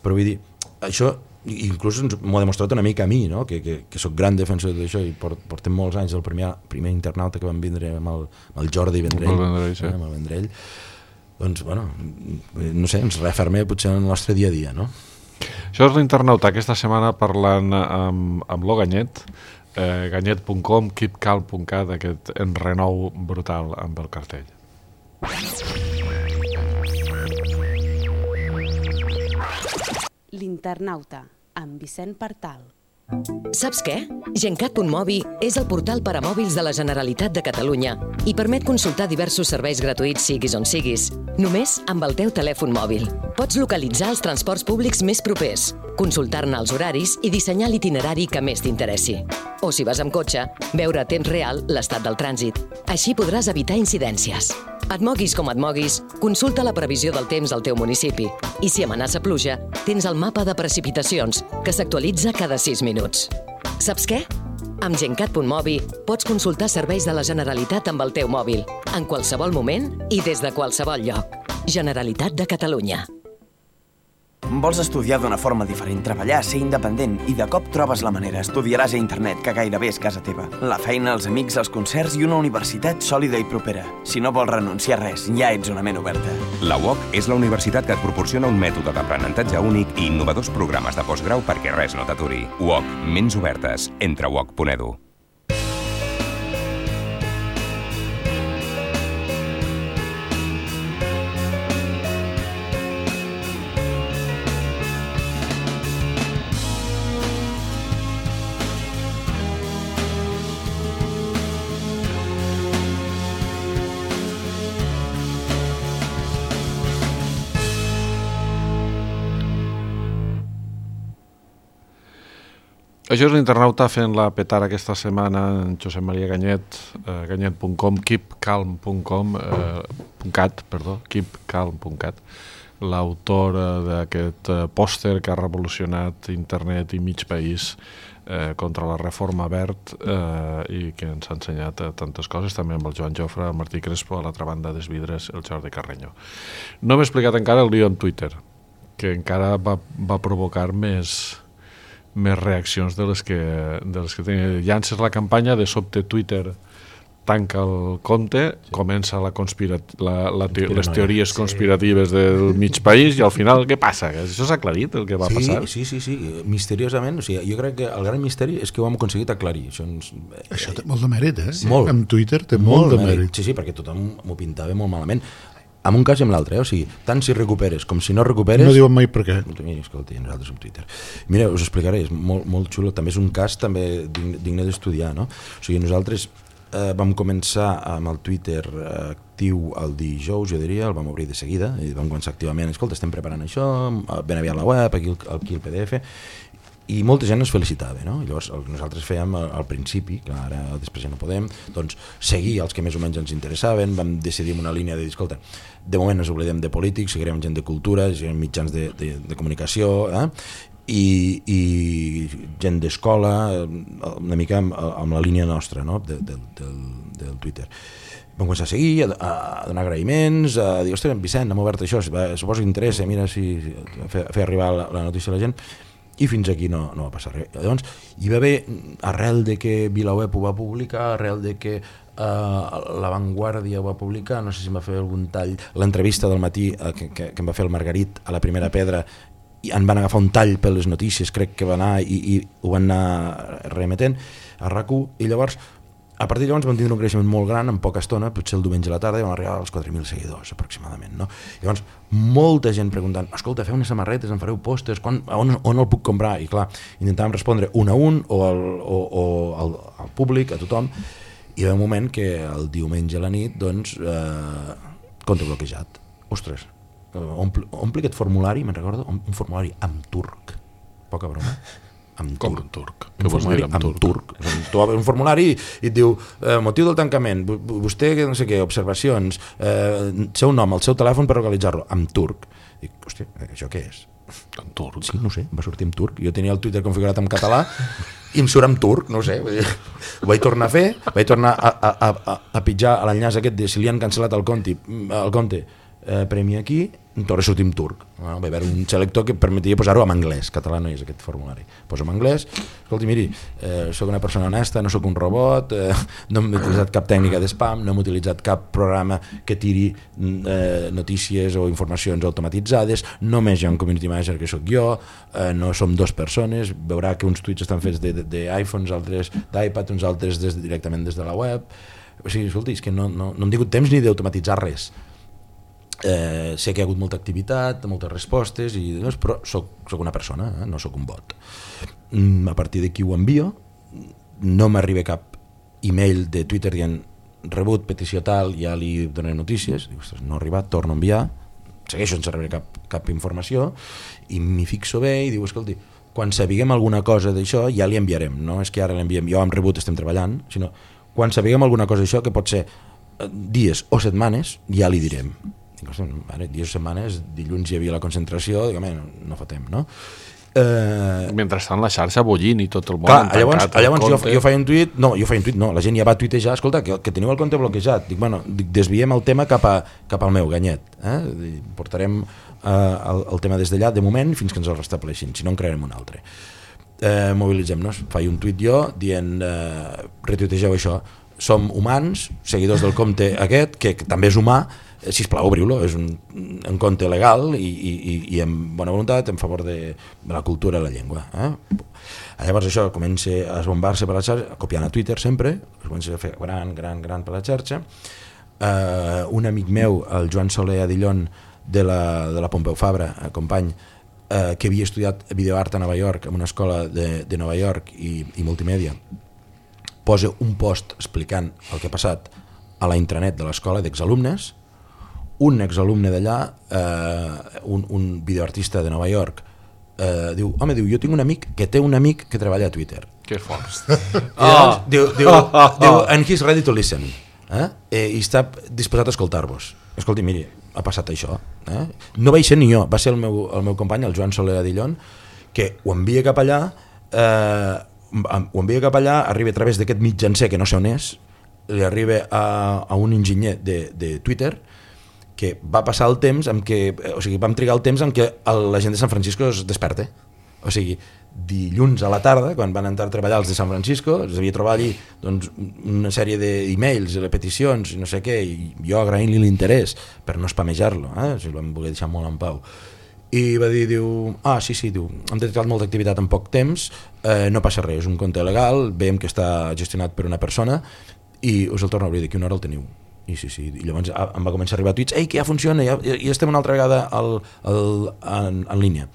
vull dir, això inclús m'ho ha demostrat una mica a mi, no? que soc gran defensor d'això i portem molts anys del primer internauta que vam vindre amb el Jordi Vendrell, amb el Vendrell, doncs, bueno, no sé, ens referma potser en el nostre dia a dia, no? Això és l'internauta aquesta setmana parlant amb lo Ganyet, ganyet.com, keepcalm.cat, aquest enrenou brutal amb el cartell. L'internauta, amb Vicent Partal. Saps què? Gencat.mobi és el portal per a mòbils de la Generalitat de Catalunya i permet consultar diversos serveis gratuïts siguis on siguis, només amb el teu telèfon mòbil. Pots localitzar els transports públics més propers, consultar-ne els horaris i dissenyar l'itinerari que més t'interessi. O si vas amb cotxe, veure a temps real l'estat del trànsit. Així podràs evitar incidències. Et moguis com et moguis, consulta la previsió del temps al teu municipi i si amenaça pluja, tens el mapa de precipitacions, que s'actualitza cada 6 minuts. Saps què? Amb Gencat.mobi pots consultar serveis de la Generalitat amb el teu mòbil, en qualsevol moment i des de qualsevol lloc. Generalitat de Catalunya. Vols estudiar d'una forma diferent, treballar, ser independent i de cop trobes la manera. Estudiaràs a internet, que gairebé és casa teva. La feina, els amics, els concerts i una universitat sòlida i propera. Si no vols renunciar a res, ja ets una ment oberta. La UOC és la universitat que et proporciona un mètode d'aprenentatge únic i innovadors programes de postgrau perquè res no t'aturi. UOC, ments obertes. Entra a uoc.edu. Això és l'internauta fent-la petar aquesta setmana en Josep Maria Ganyet, ganyet.com, keepcalm.cat, l'autor d'aquest pòster que ha revolucionat internet i mig país contra la reforma verd i que ens ha ensenyat tantes coses, també amb el Joan Jofre, el Martí Crespo, a l'altra banda des vidres, el Jordi Carreño. No m'he explicat encara el lío en Twitter, que encara va provocar més reaccions de les que tenia. Llances la campanya, de sobte Twitter tanca el compte, comença les teories conspiratives del mig país i al final què passa? Això s'ha aclarit, el que va passar? Sí, misteriosament. O sigui, jo crec que el gran misteri és que ho hem aconseguit aclarir. Això té molt de mèrit, Molt. En Twitter té molt de mèrit. Sí, perquè tothom m'ho pintava molt malament. En un cas i en l'altre, o sigui, tant si recuperes com si no recuperes... No diuen mai per què. Escolta, nosaltres amb Twitter. Mira, us explicaré, és molt xulo, també és un cas també digne d'estudiar, no? O sigui, nosaltres vam començar amb el Twitter actiu el dijous, jo diria, el vam obrir de seguida, i vam començar activament, escolta, estem preparant això, ben aviat la web, aquí el PDF... I molta gent ens felicitava, no? Llavors nosaltres fèiem al principi, que ara després ja no podem, doncs seguir els que més o menys ens interessaven, vam decidir una línia de dir, escolta, de moment ens oblidem de polítics, seguirem gent de cultura, seguirem mitjans de comunicació, i gent d'escola, una mica amb la línia nostra, no? del Twitter. Vam començar a seguir, a donar agraïments, a dir, ostres, Vicent, hem obert això, suposo que interessa, mira si fer arribar la notícia a la gent, i fins aquí no va passar res. Llavors, hi va haver, arrel de que VilaWeb ho va publicar, arrel de que La Vanguardia ho va publicar, no sé si em va fer algun tall, l'entrevista del matí que em va fer el Margarit a la Primera Pedra, i en van agafar un tall per les notícies, crec que va anar i ho van anar remetent a RAC1, i llavors a partir de llavors vam tindre un creixement molt gran en poca estona, potser el diumenge a la tarda i vam arribar als 4.000 seguidors aproximadament, no? Llavors molta gent preguntant, escolta, feu unes samarretes, en fareu pòsters, on el puc comprar? I clar, intentàvem respondre un a un o al públic, a tothom, i hi va un moment que el diumenge a la nit doncs compte bloquejat. Ostres, ompli aquest formulari, me'n recordo, un formulari amb turc, poca broma, com en turc? Un formulari amb turc. Tu obres un formulari i et diu motiu del tancament, vostè no sé què, observacions, seu nom, el seu telèfon per localitzar-lo, amb turc. Dic, hòstia, això què és? En turc? Sí, no sé, va sortir en turc. Jo tenia el Twitter configurat en català i em surt en turc, no sé. Ho vaig tornar a fer, vaig tornar a pitjar a l'enllaç aquest de si li han cancel·lat el compte, premi aquí, em torna a sortir en turc. Va haver un selector que permetia posar-ho en anglès, català no és aquest formulari. Poso en anglès, escolti, miri, soc una persona honesta, no sóc un robot, no hem utilitzat cap tècnica d'espam, no hem utilitzat cap programa que tiri notícies o informacions automatitzades, només hi ha un community manager que sóc jo, no som dues persones, veurà que uns tuits estan fets d'iPhones, altres d'iPad, uns altres directament des de la web. O sigui, escolti, és que no hem tingut temps ni d'automatitzar res. Sé que hi ha hagut molta activitat, moltes respostes, però soc una persona, no soc un bot. A partir d'aquí ho envio, no m'arriba cap email de Twitter dient rebut, petició tal, ja li donaré notícies. Dic, ostres, no ha arribat, torno a enviar, segueixo sense rebre cap informació, i m'hi fixo bé i diu, escolti, quan sapiguem alguna cosa d'això ja li enviarem, no és que ara l'enviem, jo amb rebut estem treballant, sinó quan sapiguem alguna cosa d'això, que pot ser dies o setmanes, ja li direm. Dic, dies o setmanes, dilluns hi havia la concentració, dic, no fotem, no? Mentrestant la xarxa bullint i tot el món tancat. Llavors jo feia un tuit, no, la gent ja va tuitejar, escolta, que teniu el compte bloquejat. Dic, desviem el tema cap al meu ganyet. Portarem el tema des d'allà, de moment, fins que ens el restableixin, si no en crearem un altre. Mobilitzem-nos. Faig un tuit jo dient, retuitegeu això, som humans, seguidors del compte aquest, que també és humà, sisplau, obriu-lo, és un compte legal i amb bona voluntat en favor de la cultura i la llengua. Llavors això comença a esbombar-se per la xarxa, copiant a Twitter sempre, es comença a fer gran per la xarxa. Un amic meu, el Joan Soler Adillón, de la Pompeu Fabra, company, que havia estudiat videoart a Nova York, en una escola de Nova York i multimèdia, posa un post explicant el que ha passat a la intranet de l'escola d'exalumnes. Un exalumne d'allà, un videoartista de Nova York, diu, jo tinc un amic que té un amic que treballa a Twitter. Que fort. Diu, and he's ready to listen. I està disposat a escoltar-vos. Escolti, miri, ha passat això. No vaig ser ni jo, va ser el meu company, el Joan Soler Adillón, que ho envia cap allà, arriba a través d'aquest mitjancer que no sé on és, li arriba a un enginyer de Twitter, que va passar el temps en què, o sigui, vam trigar el temps en què la gent de San Francisco es desperta. O sigui, dilluns a la tarda, quan van entrar a treballar els de San Francisco, es devia trobar allí doncs, una sèrie d'e-mails i peticions i no sé què, i jo agraint-li l'interès per no spamejar-lo, si el vam voler deixar molt en pau. I va dir, diu, hem detectat molta activitat en poc temps, no passa res, és un compte legal, veiem que està gestionat per una persona i us el torno a obrir, d'aquí una hora el teniu. I i llavors em va començar a arribar tuits, ei, que ja funciona, ja estem una altra vegada en línia.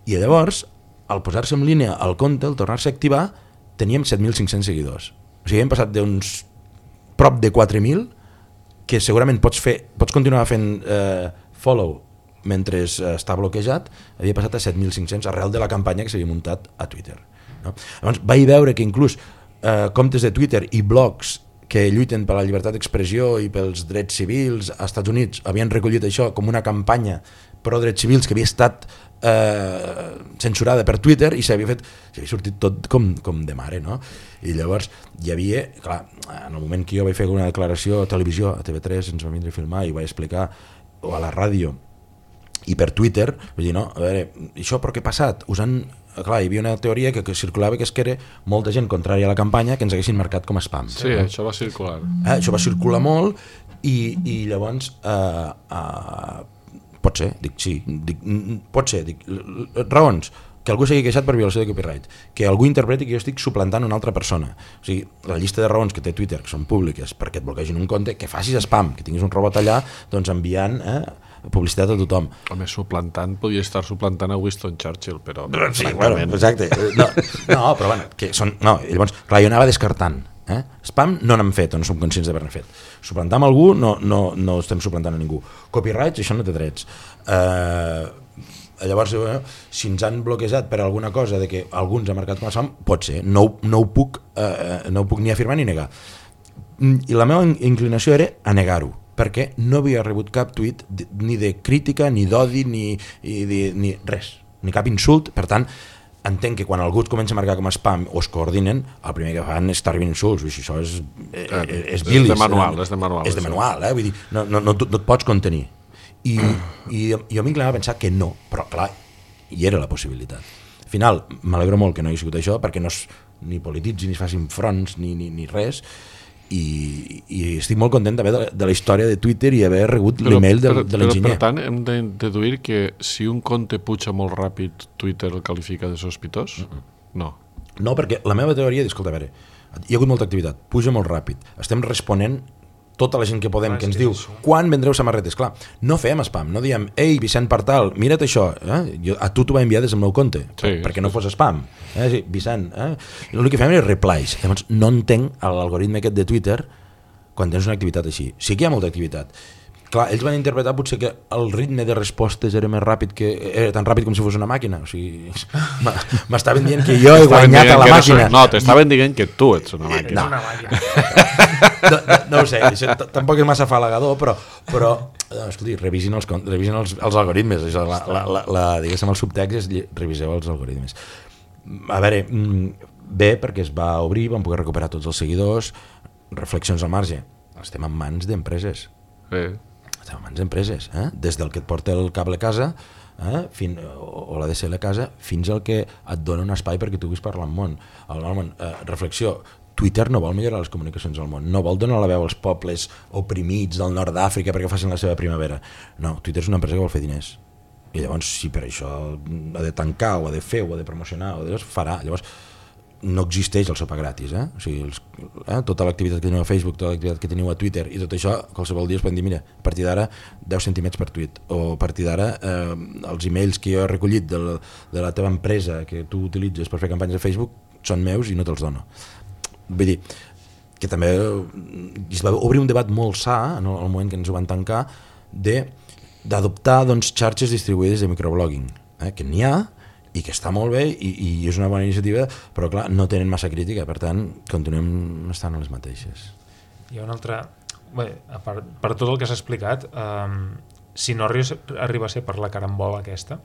I llavors, al posar-se en línia el compte, al tornar-se a activar, teníem 7.500 seguidors. O sigui, hem passat d'uns prop de 4.000, que segurament pots continuar fent follow mentre està bloquejat, havia passat a 7.500 arrel de la campanya que s'havia muntat a Twitter. No? Llavors vaig veure que inclús comptes de Twitter i blogs que lluiten per la llibertat d'expressió i pels drets civils als Estats Units havien recollit això com una campanya pro drets civils que havia estat censurada per Twitter i s'havia sortit tot com de mare, no? I llavors hi havia, clar, en el moment que jo vaig fer una declaració a televisió, a TV3 ens va vindre a filmar i vaig explicar, o a la ràdio i per Twitter, vull dir, no, a veure, això per què ha passat? Clar, hi havia una teoria que circulava que era molta gent contrària a la campanya que ens haguessin marcat com a spam. Sí, això va circular. Això va circular molt i llavors pot ser, raons, que algú s'hagi queixat per violació de copyright, que algú interpreti que jo estic suplantant una altra persona. O sigui, la llista de raons que té Twitter, que són públiques, perquè et bloquegin un compte, que facis spam, que tinguis un robot allà doncs enviant publicitat a tothom. Home, suplantant, podria estar suplantant a Winston Churchill, però... Sí, bueno, exacte. No, però bueno, que són... No, i llavors, clar, jo anava descartant. Spam no n'hem fet, o no som conscients d'haver-ne fet. Suplantar amb algú no estem suplantant a ningú. Copyrights, això no té drets. Llavors, si ens han bloquejat per alguna cosa de que algú ens ha marcat com a spam, pot ser, no ho puc ni afirmar ni negar. I la meva inclinació era a negar-ho, perquè no havia rebut cap tuit ni de crítica, ni d'odi, ni res, ni cap insult. Per tant, entenc que quan algú es comença a marcar com a spam o es coordinen, el primer que fan és estar rebent insults. Això és bilis. És de manual. Vull dir, no et pots contenir. I jo m'inclinava a pensar que no, però clar, hi era la possibilitat. Al final, m'alegro molt que no hi ha sigut això, perquè no ni polititzi, ni es facin fronts, ni res, i estic molt content també de la història de Twitter i haver rebut l'email de l'enginyer. Per tant, hem de deduir que si un compte puja molt ràpid, Twitter el qualifica de sospitós? No. No, perquè la meva teoria és, escolta, a veure, hi ha hagut molta activitat, puja molt ràpid, estem responent tota la gent que podem, que ens diu quan vendreu samarretes. Clar, no fem spam, no diem ei, Vicent Partal, mira't això, a tu t'ho va enviar des del meu compte, perquè no fos spam, Vicent, l'únic que fem és replies. Llavors no entenc l'algoritme aquest de Twitter quan tens una activitat així. Sí que hi ha molta activitat. Clar, ells van interpretar potser que el ritme de respostes era més ràpid, era tan ràpid com si fos una màquina. O sigui, m'estaven dient que jo he guanyat a la màquina. No, t'estaven dient que tu ets una màquina. No ho sé, tampoc és massa afalagador, però escolti, revisin els algoritmes. Diguéssim, el subtext és reviseu els algoritmes. A veure, bé, perquè es va obrir, vam poder recuperar tots els seguidors, reflexions al marge. Estem en mans d'empreses. Estem en mans d'empreses, des del que et porta el cable a casa o la DSL a casa fins al que et dona un espai perquè tu puguis parlar al món. Reflexió, Twitter no vol millorar les comunicacions al món, no vol donar la veu als pobles oprimits del nord d'Àfrica perquè facin la seva primavera. No, Twitter és una empresa que vol fer diners. I llavors, si per això ha de tancar o ha de fer o ha de promocionar, farà. Llavors, no existeix el sopar gratis. O sigui, tota l'activitat que teniu a Facebook, tota l'activitat que teniu a Twitter i tot això, qualsevol dia es poden dir, mira, a partir d'ara 10 centímetres per tuit, o a partir d'ara els emails que jo he recollit de la teva empresa que tu utilitzes per fer campanyes a Facebook són meus i no te'ls dono. Vull dir, que també es va obrir un debat molt sa en el moment que ens ho van tancar d'adoptar xarxes distribuïdes de microblogging, que n'hi ha i que està molt bé i és una bona iniciativa, però clar, no tenen massa crítica, per tant continuem estant a les mateixes. Hi ha una altra... Bé, per tot el que s'ha explicat, si no arriba a ser per la carambola aquesta,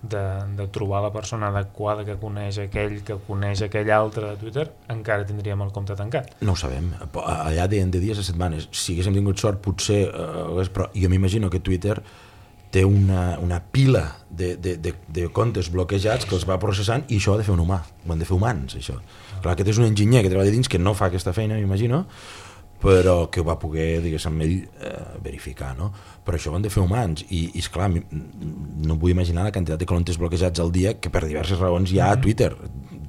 de trobar la persona adequada que coneix aquell altre de Twitter, encara tindríem el compte tancat. No ho sabem, allà de dies a setmanes, si haguéssim tingut sort potser, però jo m'imagino que Twitter té una pila de comptes bloquejats que els va processant, i això ho ha de fer un humà, ho han de fer humans, això. Clar, aquest és un enginyer que treballa dins que no fa aquesta feina, m'imagino, però que ho va poder, diguéssim, ell verificar, no? Però això ho han de fer humans, i esclar, no vull imaginar la quantitat de comptes bloquejats al dia que per diverses raons hi ha a Twitter,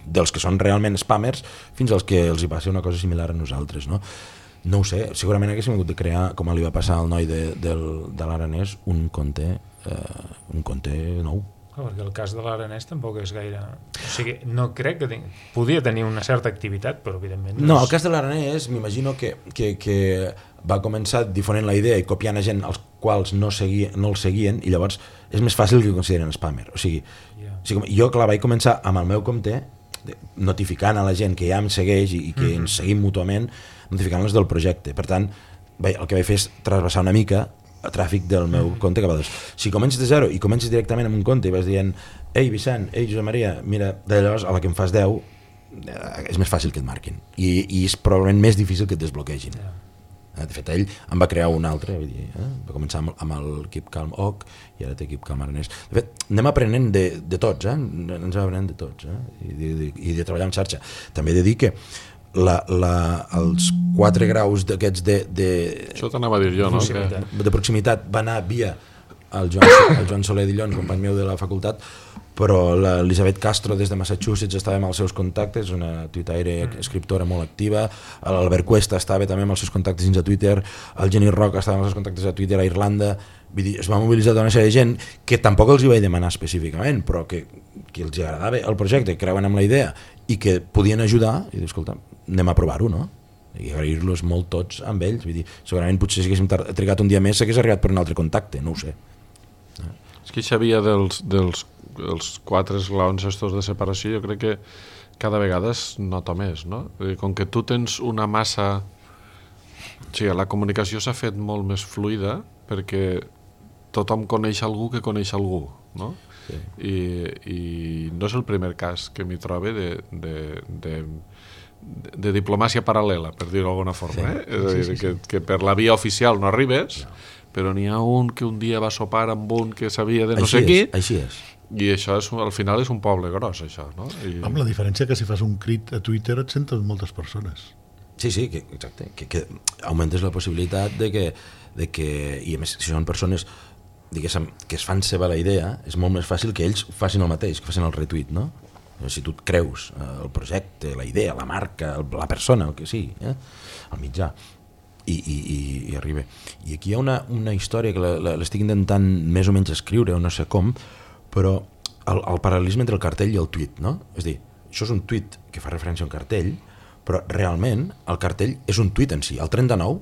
dels que són realment spammers fins als que els hi passa una cosa similar a nosaltres, no? No ho sé, segurament haguéssim hagut de crear, com li va passar al noi de l'Aranès, un compte nou. Perquè el cas de l'Aranès tampoc és gaire... O sigui, no crec que... Podia tenir una certa activitat, però evidentment... No, el cas de l'Aranès, m'imagino que va començar difonent la idea i copiant a gent als quals no el seguien, i llavors és més fàcil que consideren spammer. O sigui, jo, clar, vaig començar amb el meu compte, notificant a la gent que ja em segueix i que ens seguim mútuament, notificant-los del projecte. Per tant, el que vaig fer és trasbassar una mica el tràfic del meu compte cap a dos. Si comences de zero i comences directament amb un compte i vas dient ei Vicent, ei Josep Maria, mira, d'allòs a la que em fas 10 és més fàcil que et marquin i és probablement més difícil que et desbloquegin. De fet, ell em va crear un altre, vull dir, va començar amb el Keep Calm Oc i ara té Keep Calm Aranès. De fet, anem aprenent de tots, ens aprenent de tots, i de treballar en xarxa. També he de dir que els 4 graus d'aquests això t'anava a dir jo, no? De proximitat va anar via el Joan Soler Dillon, company meu de la facultat, però l'Elisabet Castro des de Massachusetts estava amb els seus contactes, una tuitaire escriptora molt activa, l'Albert Cuesta estava també amb els seus contactes dins de Twitter, el Jenny Roca estava amb els seus contactes a Twitter a Irlanda. Vull dir, es va mobilitzar una sèrie de gent que tampoc els hi vaig demanar específicament, però que els agradava el projecte, creuen amb la idea i que podien ajudar, i dir, escolta, anem a provar-ho, no? I agrair-los molt tots amb ells. Vull dir, segurament potser si haguéssim trigat un dia més s'hagués arribat per un altre contacte, no ho sé. És que això havia dels 4 esglaons estos de separació, jo crec que cada vegada es nota més, no? Com que tu tens una massa... O sigui, la comunicació s'ha fet molt més fluida perquè tothom coneix algú que coneix algú, no? Sí. I no és el primer cas que m'hi trobe de diplomàcia paral·lela, per dir-ho d'alguna forma. Sí. És a dir, que per la via oficial no arribes, però n'hi ha un que un dia va sopar amb un que sabia de no sé qui. Així és. I això al final és un poble gros, això, no? Amb la diferència que si fas un crit a Twitter et senten moltes persones. Sí, exacte, que augmentes la possibilitat de que, i a més, si són persones, diguéssim, que es fan seva la idea, és molt més fàcil que ells facin el mateix, que facin el retweet, no? Si tu et creus el projecte, la idea, la marca, la persona, el que sigui, el mitjà, i arriba. I aquí hi ha una història que l'estic intentant més o menys escriure, o no sé com, però el paral·lelisme entre el cartell i el tuit, no? És a dir, això és un tuit que fa referència a un cartell, però realment el cartell és un tuit en si. El 39,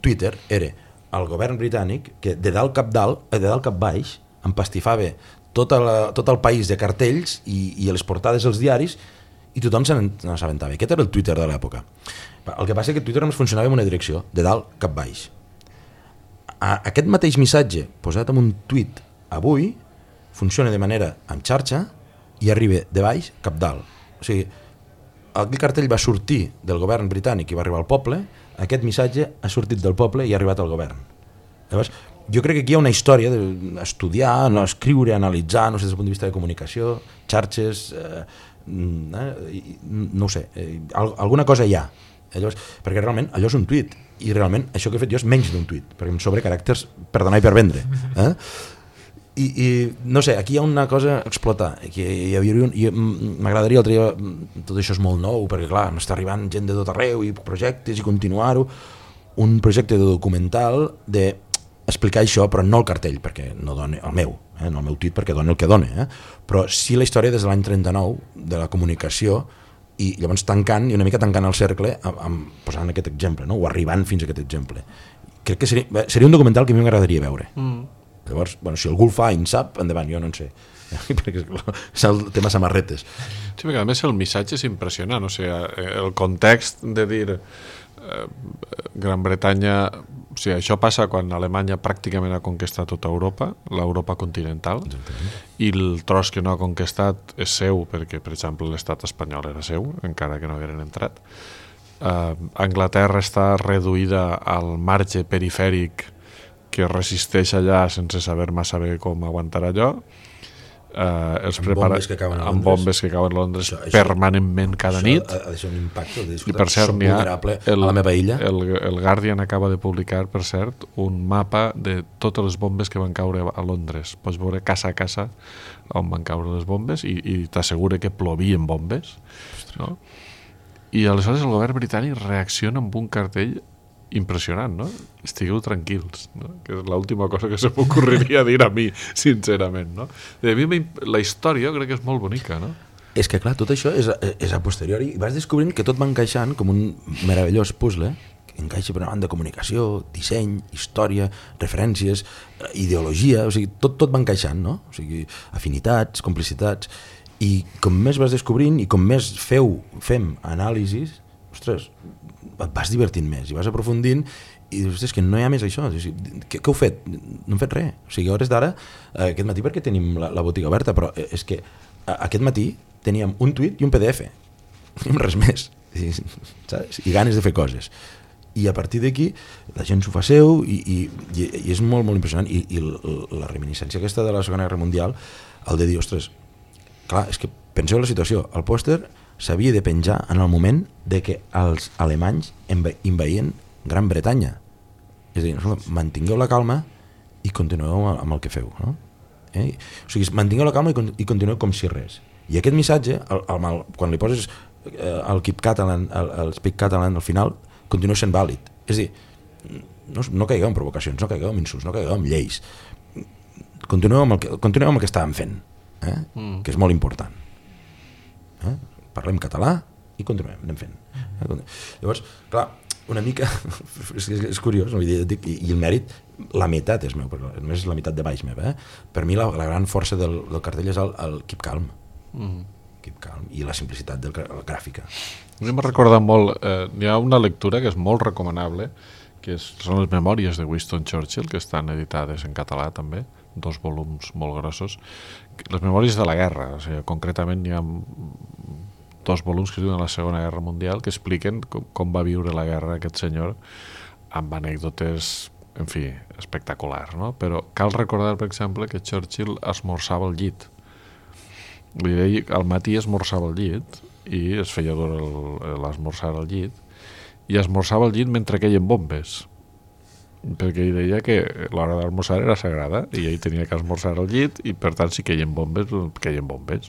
Twitter era el govern britànic que de dalt cap baix empastifava tot el país de cartells i les portades als diaris i tothom se n'assabentava. Aquest era el Twitter de l'època. El que passa és que Twitter només funcionava en una direcció, de dalt cap baix. Aquest mateix missatge posat en un tuit avui funciona de manera en xarxa i arriba de baix cap dalt. O sigui, aquell cartell va sortir del govern britànic i va arribar al poble, aquest missatge ha sortit del poble i ha arribat al govern. Llavors, jo crec que aquí hi ha una història d'estudiar, escriure, analitzar, no sé, des del punt de vista de comunicació, xarxes, no ho sé, alguna cosa hi ha. Llavors, perquè realment allò és un tuit, i realment això que he fet jo és menys d'un tuit, perquè em sobre caràcters per donar i per vendre. I no sé, aquí hi ha una cosa a explotar, m'agradaria l'altre dia, tot això és molt nou, perquè clar, m'està arribant gent de tot arreu i projectes i continuar-ho, un projecte de documental d'explicar això, però no el cartell, perquè no dona el meu, no el meu tuit perquè dona el que dona, però sí la història des de l'any 39 de la comunicació, i llavors tancant, i una mica tancant el cercle posant aquest exemple, no? O arribant fins a aquest exemple. Crec que seria un documental que a mi m'agradaria veure. Llavors, si algú el fa i en sap, endavant, jo no en sé. Perquè és el tema samarretes. Sí, perquè a més el missatge és impressionant, o sigui, el context de dir Gran Bretanya, o sigui, això passa quan Alemanya pràcticament ha conquistat tota Europa, l'Europa continental. Exactament. I el tros que no ha conquistat és seu, perquè, per exemple, l'estat espanyol era seu, encara que no hagueren entrat. Anglaterra està reduïda al marge perifèric que resisteix allà sense saber massa bé com aguantar allò, els prepara amb bombes que cauen a Londres permanentment cada nit. Ha de ser un impacte. I per cert, n'hi ha a la meva illa. El Guardian acaba de publicar, per cert, un mapa de totes les bombes que van caure a Londres. Pots veure casa a casa on van caure les bombes i t'assegura que plovien bombes, no? I aleshores el govern britànic reacciona amb un cartell impressionant, no? Estigueu tranquils, no? Que és l'última cosa que se m'ocorreria dir a mi, sincerament, no? A mi la història crec que és molt bonica, no? És que, clar, tot això és a posteriori i vas descobrint que tot va encaixant com un meravellós puzzle, que encaixa per una banda comunicació, disseny, història, referències, ideologia, o sigui, tot va encaixant, no? O sigui, afinitats, complicitats, i com més vas descobrint i com més fem anàlisis, ostres, et vas divertint més i vas aprofundint i dius, ostres, que no hi ha més això. Què heu fet? No hem fet res. O sigui, a hores d'ara, aquest matí perquè tenim la botiga oberta, però és que aquest matí teníem un tuit i un PDF. No tenim res més. Saps? I ganes de fer coses. I a partir d'aquí la gent s'ho fa seu i és molt, molt impressionant. I la reminiscència aquesta de la Segona Guerra Mundial, el de dir, ostres, clar, és que penseu la situació, el pòster s'havia de penjar en el moment de que els alemanys envaïen Gran Bretanya. És a dir, mantingueu la calma i continueu amb el que feu, no? O sigui, mantingueu la calma i continueu com si res. I aquest missatge, quan li poses el Keep Catalan, el Speak Catalan al final, continua sent vàlid. És a dir, no caigueu en provocacions, no caigueu en insults, no caigueu en lleis. Continueu amb el que estàvem fent, que és molt important. Parlem català i continuem, anem fent. Llavors, clar, una mica és curiós, no? I el mèrit, la meitat és meu, perquè només és la meitat de baix meva. Per mi la gran força del cartell és el Keep Calm. Keep Calm i la simplicitat de la gràfica. A mi m'ha recordat molt, hi ha una lectura que és molt recomanable, que són les memòries de Winston Churchill, que estan editades en català també, 2 volums molt grossos. Les memòries de la guerra, o sigui, concretament hi ha 2 volums que es diuen la Segona Guerra Mundial, que expliquen com va viure la guerra aquest senyor, amb anècdotes, en fi, espectaculars, no? Però cal recordar, per exemple, que Churchill esmorzava al llit. Al matí esmorzava al llit i es feia dur l'esmorzar al llit i esmorzava al llit mentre queien bombes, perquè ell deia que l'hora d'esmorzar era sagrada i ell tenia que esmorzar al llit i per tant si queien bombes,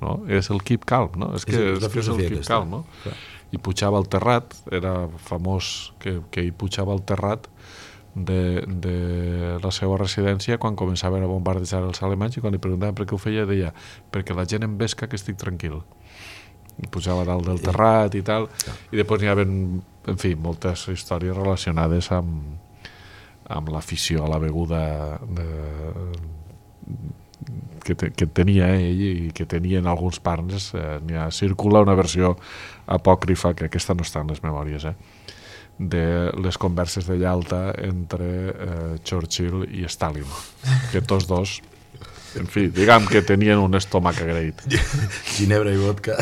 no? És el Keep Calm, no? És el Keep Calm, no? I pujava al terrat, era famós que ell pujava al terrat de la seva residència quan començaven a bombardejar els alemanys i quan li preguntaven per què ho feia deia perquè la gent em vesca que estic tranquil. I pujava dalt del terrat i tal, i després hi havia, en fi, moltes històries relacionades amb l'afició a la beguda que tenia ell i que tenien alguns partners. Circula una versió apòcrifa, que aquesta no està en les memòries, de les converses de Yalta entre Churchill i Stalin, que tots dos, en fi, diguem que tenien un estómac agraït. Ginebra i vodka.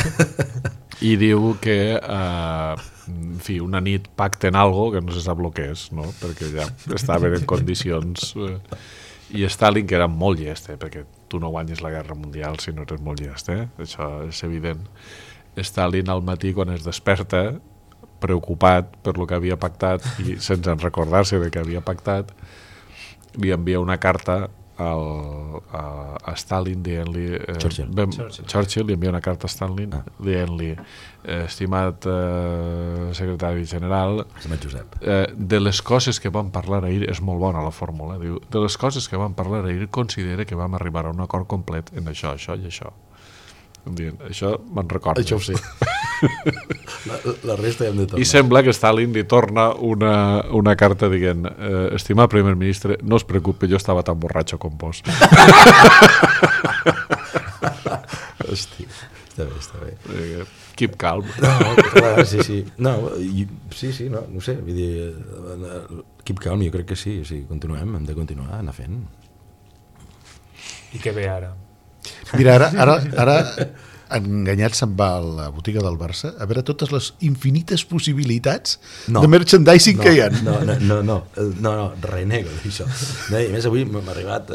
I diu que en fi, una nit pacten algo que no se sap el que és, no? Perquè ja estaven en condicions i Stalin, que era molt llest, perquè tu no guanyes la guerra mundial si no eres molt llest, això és evident. Stalin al matí quan es desperta preocupat per lo que havia pactat i sense recordar-se de què havia pactat li envia una carta a Stalin dient-li Churchill li envia una carta a Stalin dient-li estimat secretari general, de les coses que vam parlar ahir, és molt bona la fórmula, diu, de les coses que vam parlar ahir considera que vam arribar a un acord complet en això, això i això. Dient, això me'n recordo. Això sí. la resta hem de tornar. I sembla que Stalin li torna una carta dient estimat primer ministre, no es preocupe, jo estava tan borratxo com vos. Hosti, està bé. Keep calm. No, clar, sí. No, sí, no sé, vull dir, keep calm, jo crec que sí, continuem, hem de continuar anar fent. I què ve ara? Mira, Enganyat se'n va a la botiga del Barça a veure totes les infinites possibilitats de merchandising que hi ha. No, renego d'això. No, a més, avui m'ha arribat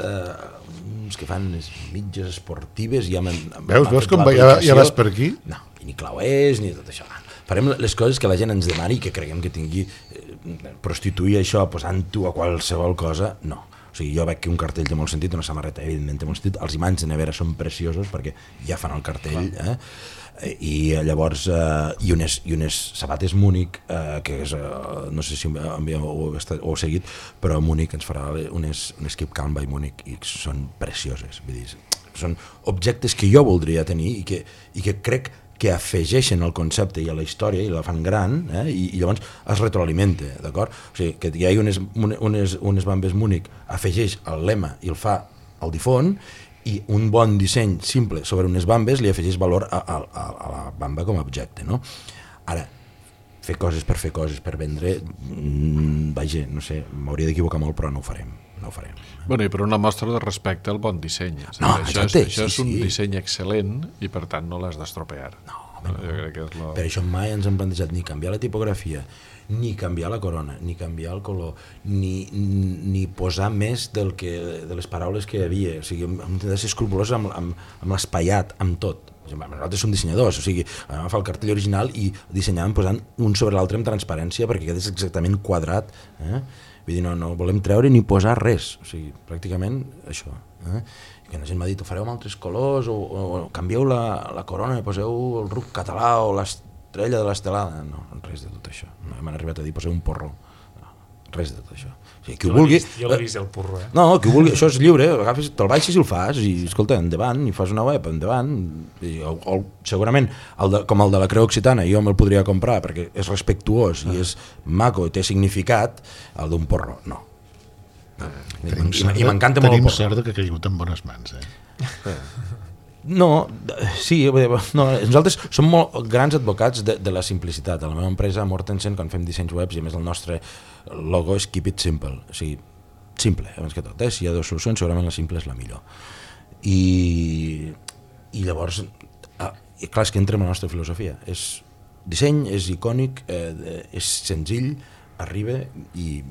uns que fan mitges esportives i ja veus com ja vas per aquí? No, ni clauers ni tot això. Farem les coses que la gent ens demani i que creguem que tingui prostituir això posant-ho a qualsevol cosa, no. O sigui, jo veig que un cartell té molt sentit, una samarreta evidentment té molt sentit, els imants de nevera són preciosos perquè ja fan el cartell, i llavors i unes sabates Múnich, que és, no sé si ho heu seguit, però Múnich ens farà unes Keep Calm by Múnich i són precioses, vull dir, són objectes que jo voldria tenir i que crec que afegeixen el concepte i a la història i la fan gran, i llavors es retroalimenta, d'acord? O sigui, que hi hagi unes bambes Múnich afegeix el lema i el fa al difon, i un bon disseny simple sobre unes bambes li afegeix valor a la bamba com a objecte, no? Ara, fer coses, per vendre, vaja, no sé, m'hauria d'equivocar molt, però no ho farem. Bueno, i per una mostra de respecte al bon disseny. No, això és un disseny excel·lent i per tant no l'has d'estropear. No. Per això mai ens hem plantejat ni canviar la tipografia, ni canviar la corona, ni canviar el color, ni posar més de les paraules que hi havia. O sigui, hem de ser escrupulosos amb l'espaiat, amb tot. Nosaltres som dissenyadors, o sigui, vam agafar el cartell original i dissenyàvem posant un sobre l'altre amb transparència perquè quedés exactament quadrat. Vull dir, no volem treure ni posar res, o sigui, pràcticament això. Que la gent m'ha dit, ho fareu amb altres colors, o canvieu la corona i poseu el ruc català o l'estrella de l'estelada. No, res de tot això. No m'han arribat a dir, poseu un porró. No, res de tot això. O sigui, qui ho vulgui... Jo l'he vist el porro, No, qui ho vulgui, això és lliure, te'l baixes i el fas, i escolta, endavant, i fas una web, endavant. O segurament, com el de la Creu Occitana, jo me'l podria comprar perquè és respectuós i és maco i té significat, el d'un porro, no. I m'encanta molt el porro. Tenim sort que ha caigut en bones mans, No, sí, nosaltres som molt grans advocats de la simplicitat. A la meva empresa, Mortensen, quan fem dissenys webs, i a més el nostre logo és Keep It Simple, o sigui, simple, abans que tot. Si hi ha dues solucions, segurament la simple és la millor. I llavors, clar, és que entra en la nostra filosofia. És disseny, és icònic, és senzill, arriba i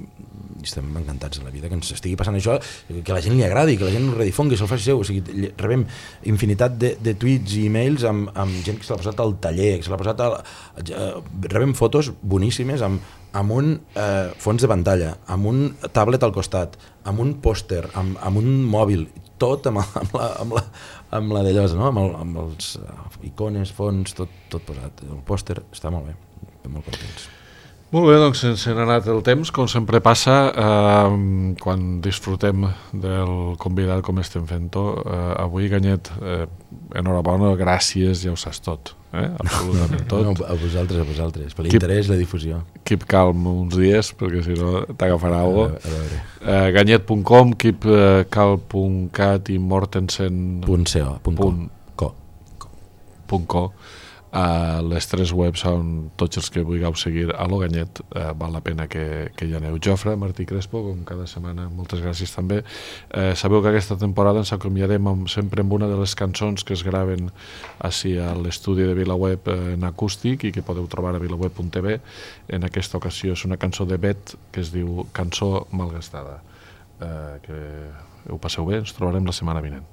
estem encantats de la vida que ens estigui passant això, que la gent li agradi, que la gent ho redifongui, se'l faci seu. O sigui, rebem infinitat de tuits i e-mails amb gent que se l'ha posat al taller, que se l'ha posat rebem fotos boníssimes amb un fons de pantalla, amb un tablet al costat, amb un pòster, amb un mòbil, tot amb la d'allò, no? Amb els icones, fons, tot posat. El pòster està molt bé, estem molt contents. Molt bé, doncs se n'ha anat el temps, com sempre passa, quan disfrutem del convidat com estem fent-ho. Avui, Ganyet, enhorabona, gràcies, ja ho saps tot, absolutament tot. No, a vosaltres, per l'interès, la difusió. Keep calm uns dies, perquè si no t'agafarà alguna cosa. Ganyet.com, keepcalm.cat i mortensen.co. Les tres webs on tots els que vulgueu seguir a lo Ganyet, val la pena que hi aneu. Jofre, Martí Crespo, com cada setmana, moltes gràcies també. Sabeu que aquesta temporada ens acomiadem sempre amb una de les cançons que es graven així a l'estudi de VilaWeb en acústic i que podeu trobar a vilaweb.tv. En aquesta ocasió és una cançó de Bet que es diu Cançó malgastada. Que ho passeu bé, ens trobarem la setmana vinent.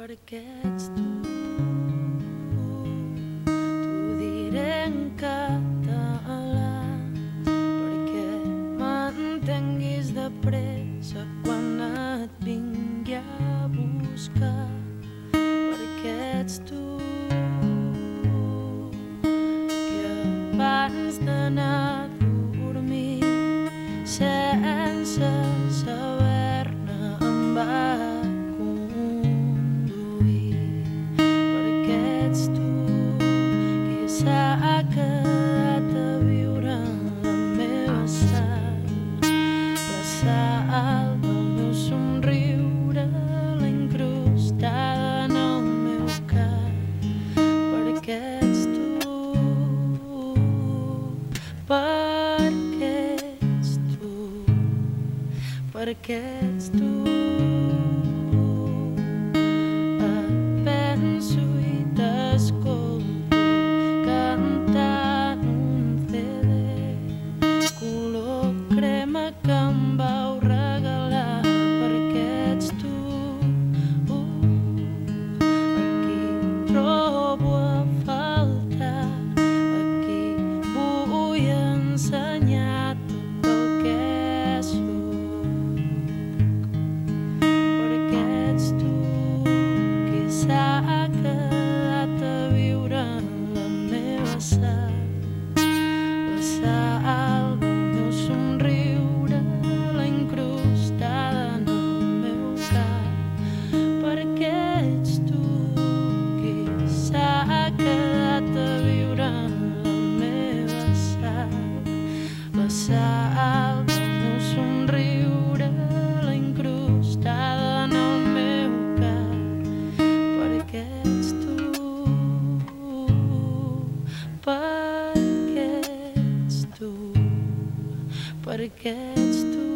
Perquè ets tu, t'ho diré en català, perquè m'entenguis de pressa quan et vingui a buscar, perquè ets tu, que abans d'anar a dormir sense saber-ne em va s'ha quedat a viure en la meva sang, la sal del meu somriure, la incrustada en el meu cap, perquè ets tu, perquè ets tu. Penso i t'escolto cantant un CD color crema que em vau regalar perquè ets tu. Aquí trobo a faltar, aquí vull ensenyar tot el que soc, perquè ets tu qui s'ha quedat a viure en la meva sal, la sal del meu somriure, la incrustada en el meu cap, perquè ets tu qui s'ha quedat a viure en la meva sal, la sal del meu somriure, la incrustada en el meu cap, perquè ets tu, perquè ets tu, perquè ets tu.